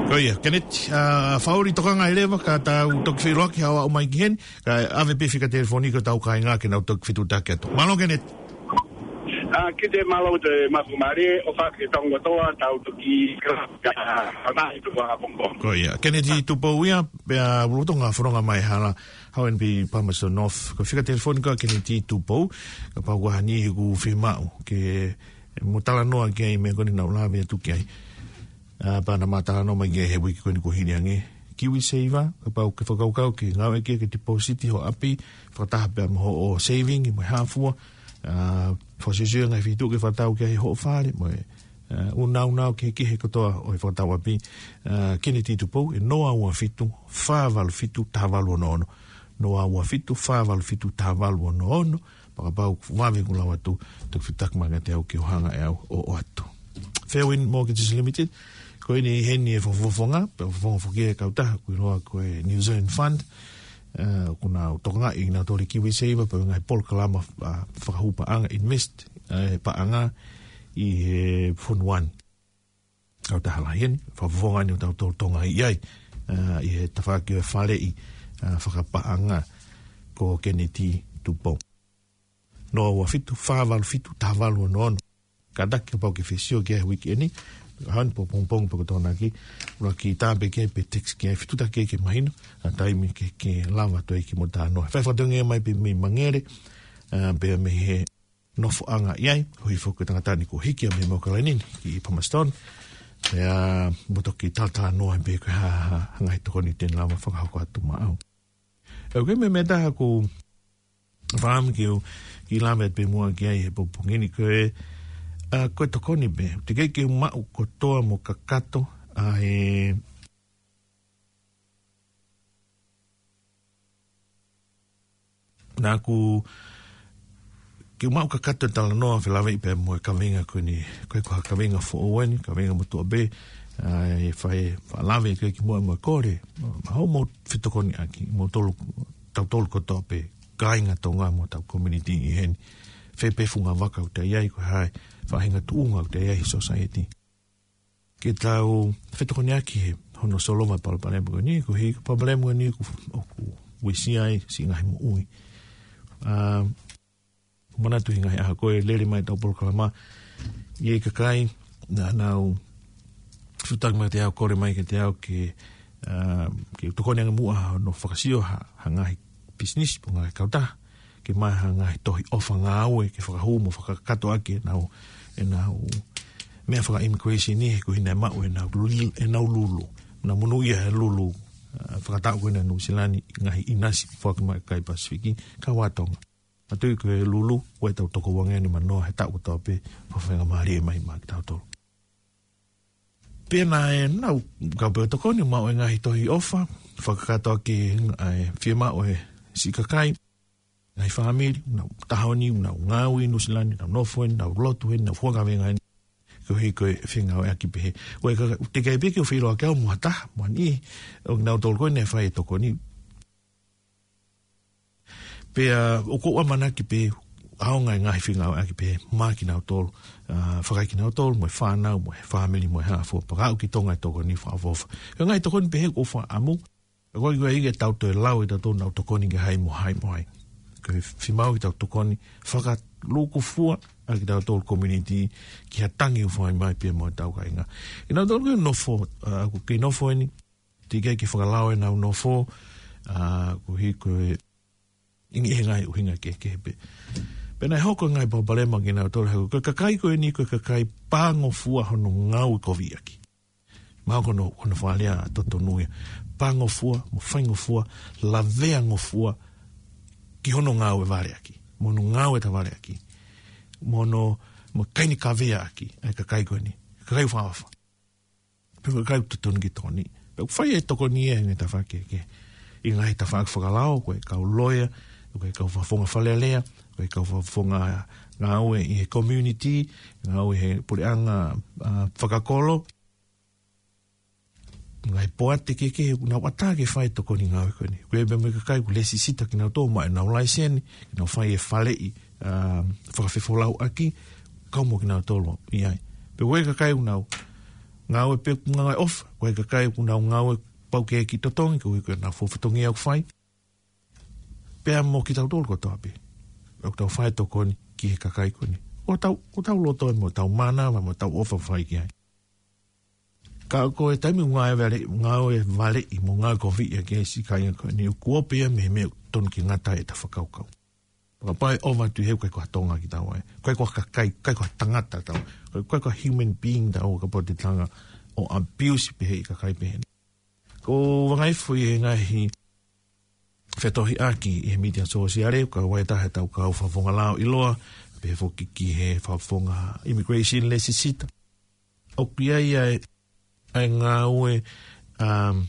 Ko ia, Keneti, a, fakaʻuli tokanga ʻi leva, ka tau toki feʻiloaki haʻo aʻu mai ki heni, kae ʻave pē fika telefoni ki hotau kāinga ke nau toki fetuʻutaki atu. Mālō Keneti. A, kite mālō te mafu mare, ʻofa ke tongo toa, tau toki, ka, ka, ka, ka, ka, ka, ka, ka, ka, Ko ia, Keneti Tupou ia, pea lolotonga fononga mai hala, Hau eni pē Palmerston North, ko e fika telefoni ko ia Keneti Tupou, kapau ʻoku ʻi ai ha niʻihi ʻoku fiemaʻu, ke mou talanoa ki ai meʻa ko eni naʻa ku lave atu ki ai. A, pea naʻa ma talanoa mai ki ai he uike ko eni kuo hili ange. KiwiSaver, kapau ʻoku ke fakakaukau ke ngāueʻaki ke tipōsiti ho ʻapi, fakataha pea mo hoʻo saving, mo e hā fua, a, fakasiosio e ngaahi feituʻu ke fakatau ki ai hoʻo fale, mo e, a, ʻū nāunau kehekehe kotoa ʻo e fakatau ʻapi, a, Keneti Tupou, ʻe noa ua fitu, fā valu fitu, taha valu ono ono. Noa ua fitu, fā valu fitu, taha valu ono ono. Pea kapau ʻoku vave ke lau atu, toki fetuʻutaki mai kiate au ke u hanga ʻe au ʻo ʻoatu. Fairwind Mortgages Limited, ko eni ʻi heni e fakafofonga, pea fakafofonga foki e kautaha, ʻoku ʻiloa ko e New Zealand Fund, ʻa, ʻoku nau tokangaʻi kinautolu ʻe KiwiSaver, pea ngaahi polokalama, ʻa, fakahū paʻanga, invest, ʻa, paʻanga ʻi he fonua ni. Kautaha lahi eni, fakafofonga eni ʻoku tau tokangaʻi ai, ʻa, ʻi he tafaʻaki ʻo e faleʻi, ʻa, fakapaʻanga ko Keneti Tupou. Noa ua fitu, fā valu fitu, taha valu ono ono. Kātaki kapau ʻoku ke fie sio ki ai he uike ni, hau eni pe pongipongi pe ko e Tokonaki, ʻuluaki tā pē ki ai pe text ki ai, fetuʻutaki ki ai ke mahino, ʻa e taimi ke, ke lava atu ai ke mou talanoa. Fai fakatongia mai pē mei Mangere, ʻa, pea mei he nofoʻanga ʻi ai, ʻo hifo ko e tangata ni kuo hiki ia mei Maukalani ni, ki Palmerston, pea mou toki talatalanoa pē ko e hā, hā, hā ngaahi tokoni te ne lava fakahoko atu maʻau. ʻOku ʻi ai meʻa, meʻa ʻe taha ʻoku ou fakaʻamu ke u kiʻi lave atu pē muʻa ki ai he pongipongi ni ko e, ʻa, ko e tokoni pē. Teʻeki ke u maʻu kotoa mo kakato, ʻa, e, naʻa ku, ke u maʻu kakato e talanoa felāveʻi pea mo e kaveinga ko eni, ko e ko ha kaveinga foʻou eni, kaveinga motuʻa pē, ʻa, ʻe fai, faʻa lave ki ai kimuʻa mo e kole, ma, ma hoʻomou fetokoniʻaki, moutolu, tautolu kotoa pē, kāinga Tonga mo hotau community ʻi heni. Fē pē funga vaka ʻoku ta ʻi ai, ko e hā e faʻahinga tuʻunga ʻoku ta ʻi ai he society. Ke tau fetokoniʻaki he hono solova e palopalema ko eni, ko e palopalema ko eni ʻoku, ʻoku uesia ai siʻi ngaahi moʻui. ʻA, manatu he ngaahi ʻaho ko ē lele mai ʻetau polokalama, ʻi he kakai naʻa nau fetuʻutaki mai kiate au, kole mai kiate au ke, ʻa, ke tokoni ange muʻa hono fakasio ha, ha ngaahi pisinisi pe ngaahi kautaha, ke maʻu ha ngaahi tohi ʻofa ngāue ke fakahū mo fakakakato ʻaki ʻenau, ʻenau meʻa faka-immigration ni, he ko e hā naʻe maʻu ʻenau lul-, ʻenau lulu. Naʻa monūʻia he lulu, ʻa, fakataʻu ko ena Nuʻu Sila ni, ngaahi ʻinasi foaki mai ki he kakai Pasifiki, kau ai Tonga. Manatuʻi ko e lulu, ʻoku tau toko uangeau nimanoa he taʻu kotoa pē, fakafaingamālie mai maʻa kitautolu. Pea naʻa nau kau pē ʻo tokoni, maʻu e ngaahi tohi ʻofa, fakakakato ʻaki ʻa e fiemaʻu ʻa e siʻi kakai, ngaahi fāmili, nau taha ʻo nau ngāue ʻi Nuʻu Sila ni, nau nofo ʻi heni, nau lotu ʻi heni, nau huakaveinga ʻi heni, koeʻuhi ko e fengāueʻaki pehē. Ko e ka-, teʻeki ai pē ke u feʻiloaki au mo ha taha, mo ha niʻihi ʻo kinautolu ko ē naʻe fai e tokoni. Pea ʻoku ou ʻamanaki pē ʻaonga e ngaahi fengāueʻaki pehē maʻa kinautolu, ʻa, fakaʻikinautolu, mo e fānau, mo e fāmili, mo e hā fua, pea aʻu ki Tonga e tokoni fakaʻofoʻofa. Ko e ngaahi tokoni pehē ʻoku ou fakaʻamu, ko e, ko e ʻikai ke tau toe lau ʻe tautolu ʻenau tokoni ki he hai mo hai mo hai. Ko e fiemaʻu ke tau tokoni fakalūkufua ʻa kitautolu community ki ha tangi ʻoku fai mai pē mo ʻetau kāinga. Kinautolu ko ē nofo, ʻa, ʻoku kei nofo ʻi heni, teʻeki ai ke fakalao ʻenau nofo, ʻa, koeʻuhi ko e ʻi he ngaahi ʻuhinga kehekehe pē. Pea naʻe hoko e ngaahi palopalema kinautolu, he ko e kakai ko eni ko e kakai pāngofua hono ngāue koviʻaki. Mahalo ko hono, ko hono fakalea totonu ia. Pāngofua, mo faingofua, laveangofua ki hono ngāue valeʻaki, mo hono ngāue tavaleʻaki, mo hono, mo e kainikaveaʻaki ʻa e kakai ko eni. Kakai fakaʻofa. Pea ko e kakai ʻoku totonu ke tokoni. Pea ʻoku fai e tokoni ia ʻi he ngaahi tafaʻaki kehekehe. ʻI he ngaahi tafaʻaki fakalao, ko e kau loea, ko e kau fakafofonga Fale Alea, ko e kau fakafofonga ngāue ʻi he community, ngāue he puleʻanga, ʻa, fakakolo. Ngaahi poate kehekehe ʻoku nau ʻatā ke fai e tokoni ngāue ko eni. Ko e meʻa mo e kakai ʻoku lesisita kinautolu, maʻu ʻenau laiseni, ke nau fai e faleʻi, ʻa, fakafefolauʻaki, kau mo kinautolu ʻi ai. Pea ko e kakai ʻoku nau ngāue pē ʻoku ngāue ʻofa, ko e kakai ʻoku nau ngāue pau ke kiʻi totongi, koeʻuhi ko ʻenau fatongia ʻoku fai. Pea mo kitautolu kotoa pē ʻoku tau fai e tokoni ki he kakai ko eni. ʻOku tau, ʻoku tau loto mo tau mānava mo tau ʻofa fai ki ai. Ka ko e taimi ʻoku ngāue vale, ngāue valeʻi mo ngāue koviʻaki ai siʻi kāinga ko eni, ʻoku ope ia mei he meʻa ʻoku totonu ke ngata ai ʻeta fakakaukau. Fakapapauʻi ʻoku ʻoatu he ʻoku ʻikai ko ha Tonga kitaua. ʻIkai ko ha kakai, ʻikai ko ha tangata kitaua. ʻIkai ko ha human being kitaua kapau te tau hanga ʻo abuse pehē ʻi he kakai pehē ni. ʻOku ou vakai foki he ngaahi fetohiʻaki ʻi he mītia sōsiale, kau ai ʻa ʻetau kau fakafofonga lao ʻiloa, pehē foki ki he fakafofonga immigration lesisita. ʻOku ʻi ai ʻa e, ʻa e ngāue, um,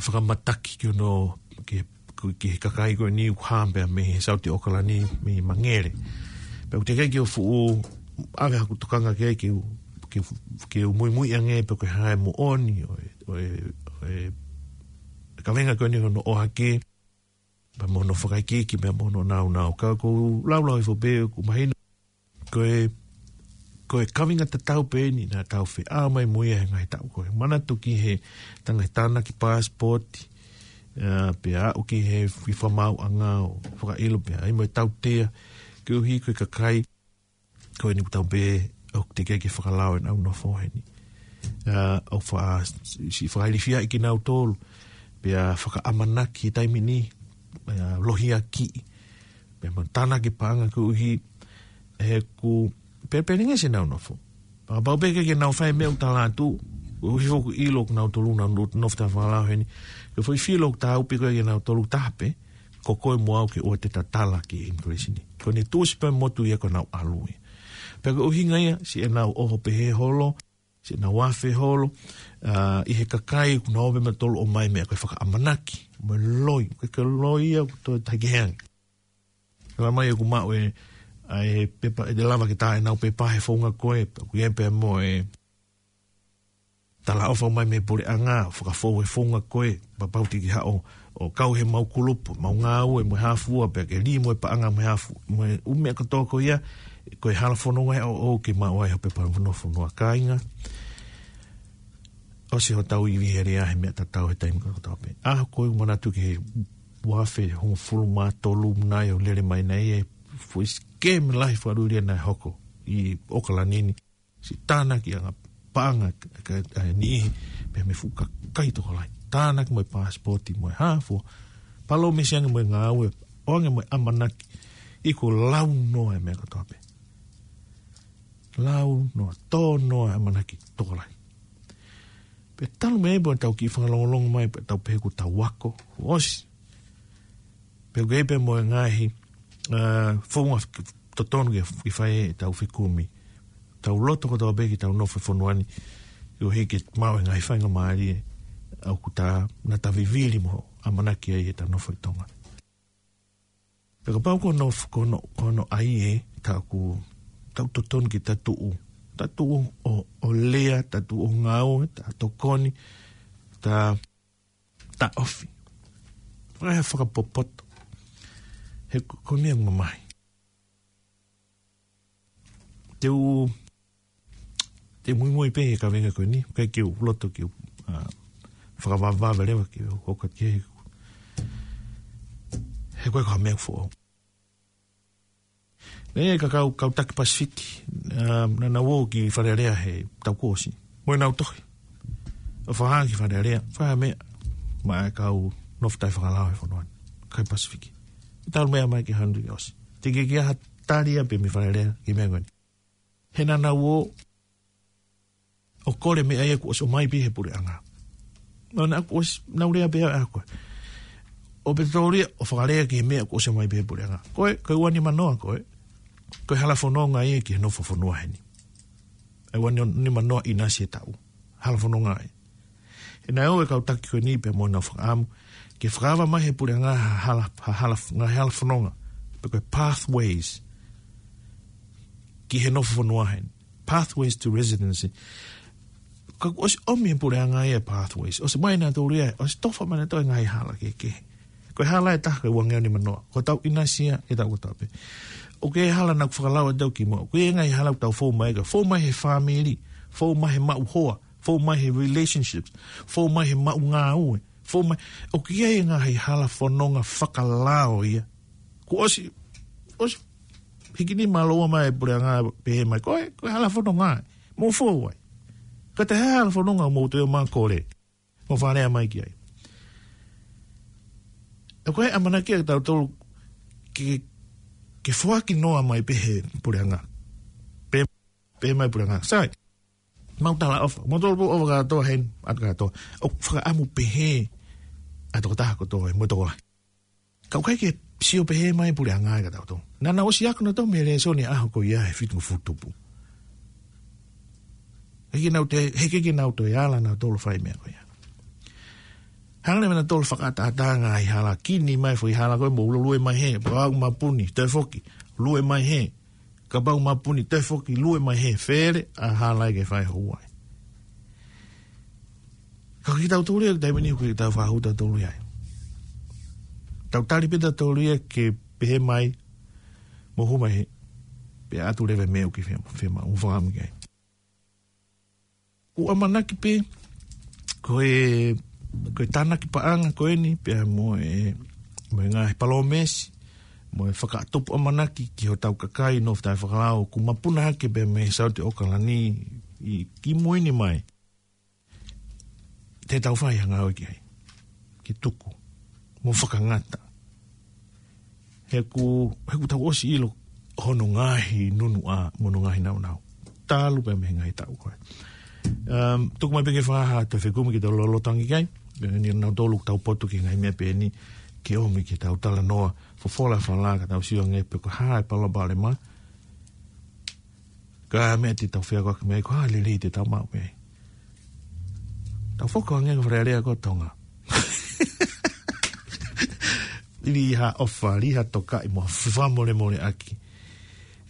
fakamataki ki hono, ki, ki he kakai ko eni ʻoku hā pē mei he South ʻAokalani, mei Mangere. Pea ʻoku teʻeki ai ke u fuʻu ʻave haku tokanga ki ai ke u, ke u, ke u muimui ange pe ko e hā e moʻoni ʻo e, ʻo e, ʻo e kaveinga ko eni hono ʻohake, pea mo hono fakaikiiki, pea mo hono nāunau. Ka ʻoku ou laulau hifo pē ʻoku mahino ko e, ko e kaveinga tatau pē eni naʻa tau feʻao mai mo ia he ngaahi taʻu ko ē. Manatu ki he tangata tānaki passport, ʻa, pea aʻu ki he fifamaauʻanga ʻo fakaʻilo pea ʻai mo e tautea, koeʻuhi ko e kakai ko eni ʻoku tau pehē ʻoku teʻeki ai ke fakalao ʻenau nofo heni. ʻA, ʻoku fa-, siʻi fakailifiaʻi kinautolu, pea fakaʻamanaki he taimi ni, ʻa, lohiakiʻi, pea mo tānaki paʻanga koeʻuhi he ʻoku pelepelengesi ʻenau nofo. Fakapapauʻi pē ke nau fai e meʻa ʻoku tala atu, koeʻuhi ʻoku ʻilo ʻoku nau tolu nau no-, nofo taʻefakalao heni. Ko e foʻi fili ʻoku tau pē ko ē ke nau tolu taha pē, ko koe mo au ke ʻoua te ta tala ki he immigration ni. Ko ʻene tuʻusi pē motu ia ko ʻenau ʻalu ia. Pea ko e ʻuhinga ia, siʻenau ʻoho pehē holo, siʻenau afe holo, ʻa, ʻi he kakai ʻoku nau ō pē mo tolu ʻomai meʻa ko e fakaʻamanaki, mo e loi, ko e, ko e loi ia ʻoku toe tahi kehe ange. Ka mai ʻoku maʻu e, ʻa e pepa, ʻe lava ke tā ʻenau pepa he founga ko ē, ʻoku ʻi ai pē mo e talaʻofa mai mei he puleʻanga, fakafou e founga ko ē, pea pau ke ke haʻu ʻo kau he mau kulupu, mau ngāue mo e hā fua, pea ke lī mo e paʻanga mo e hā fu-, mo e ʻū meʻa kotoa ko ia, ko e hala fononga ʻoʻou ke maʻu ai ha pepa nofo fonua kāinga. ʻOsi hotau ivi he lea he meʻa tatau he taimi kotoa pē. ʻA, ʻoku ou manatu ki he ua afe hongofulu mā tolu naʻe ʻo lele mai naʻe ʻi ai e foʻi sikemi lahi fakalūlia naʻe hoko ʻi ʻOkalani ni. Siʻi tānaki ʻa e paʻanga ʻa e niʻihi pea mei he fuʻu kakai tokolahi. Tānaki mo e pasipoti mo e hā fua. Palōmesi ange mo e ngāue, ʻoange mo e ʻamanaki, ʻikai ko e lau noa e meʻa kotoa pē. Lau noa, tō noa e ʻamanaki tokolahi. Pea talu mei ai pea tau kiʻi fakalongolongo mai, pea tau pehē kuo tau ako, ʻosi. Pea ʻoku ʻi ai pē mo e ngaahi, ā, founga totonu ke, ke fai ʻetau fekumi. Tau loto kotoa pē ke tau nofo he fonua ni, ʻoku ʻikai ke maʻu e ngaahi faingamālie ʻoku ta, naʻa ta vivili mo ʻamanaki ai ʻetau nofo ʻi Tonga. Pea kapau ko hono, ko hono, ko hono ʻai ē, ta ʻoku, tau totonu ke ta tuʻu. Ta tuʻu ʻo, ʻo lea, ta tuʻu ʻo ngāue, ta tokoni, ta, ta ofi. Faka-, fakapopoto. He ko, ko e meʻa mamahi. Te u, te u muimui pē he kaveinga ko eni, ʻikai ke u loto ke u, ā, fakavavevave leva ke u hoko atu ki he, he ko e ka meʻa foʻou. Naʻe ʻi ai e kau, kau taki Pasifiki, ā, naʻa nau ō ki Fale Alea he taʻu kuo ʻosi. Mo ʻenau tohi. ʻO fakahā ki Fale Alea, fakahā meʻa, maʻa e kau nofo taʻefakalao he fonua ni. Kai Pasifiki. Talu meʻa mai ki he hanu ʻosi. Te ke kiʻi ʻai ha tali ia pē mei Fale Alea, ki he meʻa ko eni. He naʻa nau ō, ʻo kole meʻa ia kuo ʻosi ʻomai pē he puleʻanga. Naʻa, naʻa kuo ʻosi, nau lea pē ʻa koe. ʻO pē tōlia, ʻo fakalea ki he meʻa kuo ʻosi ʻomai pē he puleʻanga. Ko e, ko e ua nima noa ko e. Ko e hala fononga ia ki he nofo fonua heni. ʻA e ua nima noa ʻinasi e taʻu. Hala fononga ia. He naʻe ō e kau taki ko eni pea mo ʻenau fakaʻamu. Ke fakaava mai he puleʻanga ha hala, ha hala, ngaahi hala fononga. Pe ko e pathways. Ki he nofo fonua heni. Pathways to residency. Ka kuo ʻosi ʻomi he puleʻanga ia pathways. ʻOsi mai naʻa tōlia, ʻosi tofa mai naʻa tō e ngaahi hala kehekehe. Ko e hala ʻe taha ko e ua ngeau nima noa. Ko e taʻu ʻinasi ia, e taʻu kotoa pē. ʻOku ʻi ai e hala naʻa ku fakalaua atu kimuʻa. ʻOku ʻi ai e ngaahi hala ʻoku tau fou mai ka. Fou mai he fāmili. Fou mai he maʻu hoa. Fou mai he relationships. Fou mai he maʻu ngāue. Fou mai. ʻOku ʻi ai e ngaahi hala fononga fakalao ia. Kuo ʻosi, ʻosi hiki nima ʻa e lau mai e puleʻanga pehē mai. Ko e, ko e hala fononga. Mou fou ai. Ka te hā hala fononga mou toe ō mai ʻo kole. Mo fakalea mai ki ai. ʻOku ʻi ai e ʻamanaki ʻa kitautolu ke, ke foaki noa mai pē he puleʻanga. Pē, pē mai puleʻanga. Sai. Mau talaʻofa. Mau tolo pō ʻofa kātoa heni, ʻatu kātoa. ʻOku fakaʻamu pehē ʻa e tokotaha kotoa, mo e tokolahi. Ka ʻoku ʻikai ke sio pehē mai puleʻanga ia kia tautolu. Naʻa nau ʻosi ako nautolu mei he lēsoni ʻaho ko ia he fitungofulu tupu. He ʻikai ke nau toe, he ʻikai ke nau toe ala nautolu fai meʻa ko ia. Hanga leva nautolu fakaʻataʻatā ngaahi hala, kini mai foʻi hala ko e mou lue mai hē, pau mapuni, toe foki, lue mai hē. Kapau mapuni toe foki lue mai hē, fele ʻa e hala ia ke fai houa ai. Ka ko kitautolu ia, taimi ni ko kitautolu fakahū tautolu ia. Tau tali pē tautolu ia ke pehē mai, mou hū mai hē, pea ʻatu leva e meʻa ʻoku ke fie, fie maʻu, mou fakaʻamu ki ai. ʻOku ʻamanaki pē, ko e, ko e tānaki paʻanga ko eni, pea mo e, mo e ngaahi palōmesi, mo e fakatupu ʻamanaki ki hotau kakai nofo taʻefakalao, ʻoku mapuna hake pē mei Saute ʻOkalani ʻi, kimui ni mai. Te tau fai ha ngāue ki ai. Ke tuku. Mo fakangata. He ʻoku, he ʻoku tau ʻosi ʻilo hono ngaahi nunuʻa mo hono ngaahi naunau. Talu pē mei he ngaahi taʻu ko ē. Um, tuku mai pē ke fakahā atu e fekumi ke tau lolotonga ki ai. Pea ni nautolu ʻoku tau poto ki he ngaahi meʻa pehē ni ke ʻomi ke tau talanoa. Fofola fala ka tau sio ange pe ko e hā e palopalema. Ka meʻa te tau feakoʻaki mei ai ko e hā e lelei te tau maʻu mei ai. Tau foki ange ki Fale Alea ko Tonga. Lī ha ʻofa, lī ha tokaʻi mo ha fakamolemoleʻaki.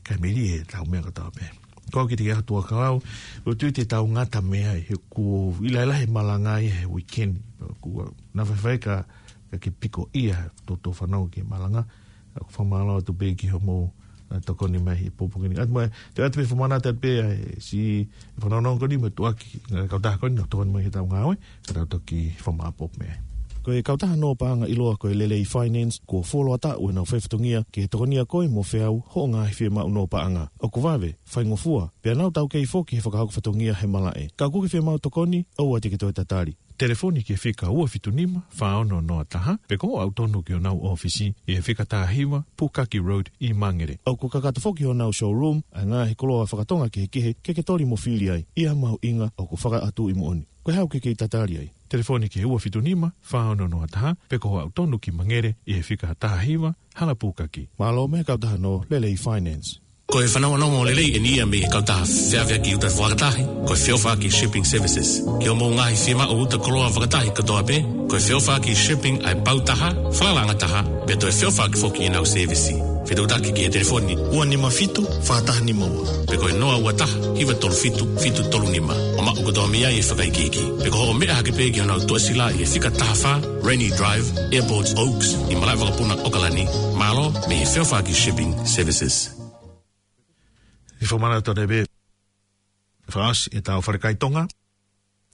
Kae melie ʻetau meʻa kotoa pē. Ko au ki te ke atu a kau, ʻoku ou tui te tau ngata mei ai, he ʻoku ʻi ai e lahi e malanga ia he weekend. ʻOku ou naʻa faifai ka, ka ke piko ia, tō tō fanau ke malanga. ʻOku ou fakamālō atu pē ki hoʻomou, ā, tokoni mai he pōpoaki ni. ʻAtu mai, te u ʻatu pē fakamanatu atu pē, ā, siʻi fanongo ko eni mo e tuʻuaki, ā, kautaha ko eni, ʻo tokoni mai heʻetau ngāue, ka tau toki fakamāʻopoʻopo mei ai. Ko e kautaha nō paʻanga ʻiloa ko e Lelei Finance, kuo fuoloa taʻu ʻenau fai fatongia ke tokonia koe mo feau hoʻo ngaahi fiemaʻu nō paʻanga. ʻOku vave, faingofua, pea nau taukei foki he fakahoko fatongia he malaʻe. Ka ʻoku ke fiemaʻu tokoni, ʻoua te ke toe tatali. Telefoni ki he fika ua fitu nima, fā ono noa taha, pe ko hoʻo aʻu tonu ki honau ʻōfisi ʻi he fika taha hiva, Pukaki Road ʻi Mangere. ʻOku kakato foki honau showroom ʻa e ngaahi koloa fakatonga kehekehe ke ke toli mo fili ai. ʻI ha mahuʻinga ʻoku fakaʻatuʻi moʻoni. Ko e hā ʻoku ke kei tatali ai? Telefoni ki he ua fitu nima, fā ono noa taha, pe ko hoʻo aʻu tonu ki Mangere ʻi he fika taha hiva, Hala Pukaki. Mālō mei he kautaha nō Lelei Finance. Ko e fanongonongo lelei eni ia mei he kautaha feʻaveʻaki uta fakatahi, ko e Feʻofaʻaki Shipping Services. Ki hoʻomou ngaahi fiemaʻu uta koloa fakatahi kotoa pē, ko e Feʻofaʻaki Shipping ʻa e pau taha, falalaʻanga taha, pea toe feʻofaʻaki foki ʻenau sēvisi. Fetuʻutaki ki he telefoni ua nima fitu, fā taha nima ua, pe ko e noa ua taha, hiva tolu fitu, fitu tolu nima. ʻO maʻu kotoa mei ai e fakaikiiki. Pe ko hoʻo meʻa hake pē ki honau tuʻasila ʻi he fika taha fā, Rainy Drive, Airport Oaks, ʻi Malaʻevakapuna, ʻAokalani. Mālō mei he Feʻofaʻaki Shipping Services. ʻI he fakamanatu atu pē, fakaʻosi ʻetau falekai Tonga,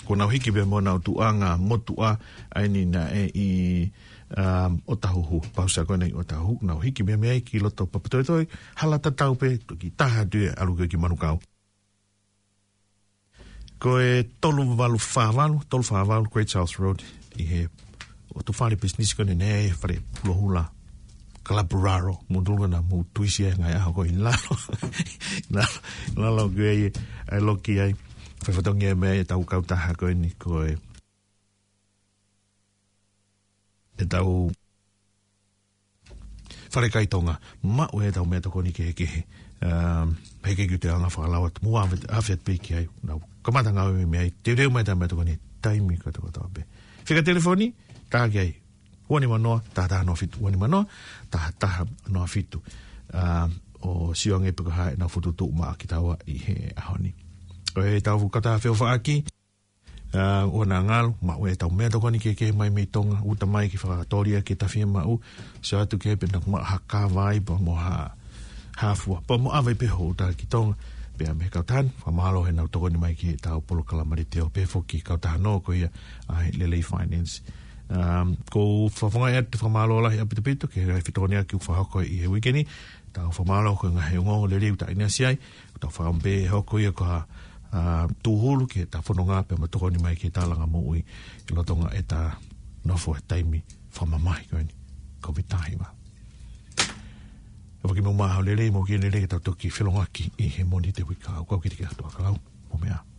kuo nau hiki pē mo ʻenau tuʻunga motuʻa ʻa eni naʻe ʻi, um, ʻOtahuhu, pausa ko ena ʻi ʻOtahuhu, nau hiki pē mei ai ki loto Papatoetoe, hala tatau pē, toki taha atu ia ʻalu ki Manukau. Ko e tolu valu fā valu, tolu fā valu Great South Road, ʻi he ʻotu fale pisinisi ko eni naʻe fale pulohula Kalapu Raro, mou tui ko ena mou tuisi e ngaahi ʻaho ko ē ʻi lalo. Lalo, lalo ko ē ʻa e loki ai. Fai fatongia mei ai ʻetau kautaha ko eni ko e ʻetau falekai Tonga, maʻu ʻetau meʻatokoni kehekehe. Um, he ʻikai ke u toe anga fakalau atu, mou ʻave, ʻave atu pē ki ai. Nau kamata ngāue mei ai, teuteu mai ʻetau meʻatokoni, taimi kotoa kotoa pē. Fika telefoni, tā ki ai, ua nima noa, taha taha noa fitu, ua nima noa, taha taha noa fitu. Um, ʻo sio ange pe ko e hā ʻenau fokotuʻutuʻu maʻa kitaua ʻi he ʻaho ni. Ko ʻetau kautaha feʻofaʻaki, ʻa, ʻoua naʻa ngalo, maʻu ʻetau meʻatokoni kehekehe mai mei Tonga, uta mai ke fakatōlia ke ta fiemaʻu, sio atu ki ai pe naʻa ku maʻu ha kava ai pea mo ha, ha fua. Pea mou ʻave pē hoʻo uta ki Tonga, pea mei he kautaha ni, fakamālō heʻenau tokoni mai ki heʻetau polokalama letiō pea foki kautaha nō ko ia ʻa e Lelei Finance. Um, ʻoku ou fakafofongaʻi atu e fakamālō lahi ʻaupito pito, ki he ngaahi fetokoniʻaki ʻoku fakahoko ʻi he uike ni, tau fakamālō ko e ngaahi ongoongo lelei ʻoku tau ʻinasi ai, ʻoku tau fakaʻamu pē hoko ia ko ha, ʻa, tūhulu ki heʻetau fononga pea mo tokoni mai ki he tālanga moʻui ʻi loto ʻetau nofo he taimi fakamamahi ko eni, Covid taha hiva. ʻOfa ki he mou maʻu ʻaho lelei, mou ʻi he lelei ke tau toki felōngoaki ʻi he Mōnite uike kahaʻu, kau kiate kimoutolu ʻa e kau. Mou meʻa ā.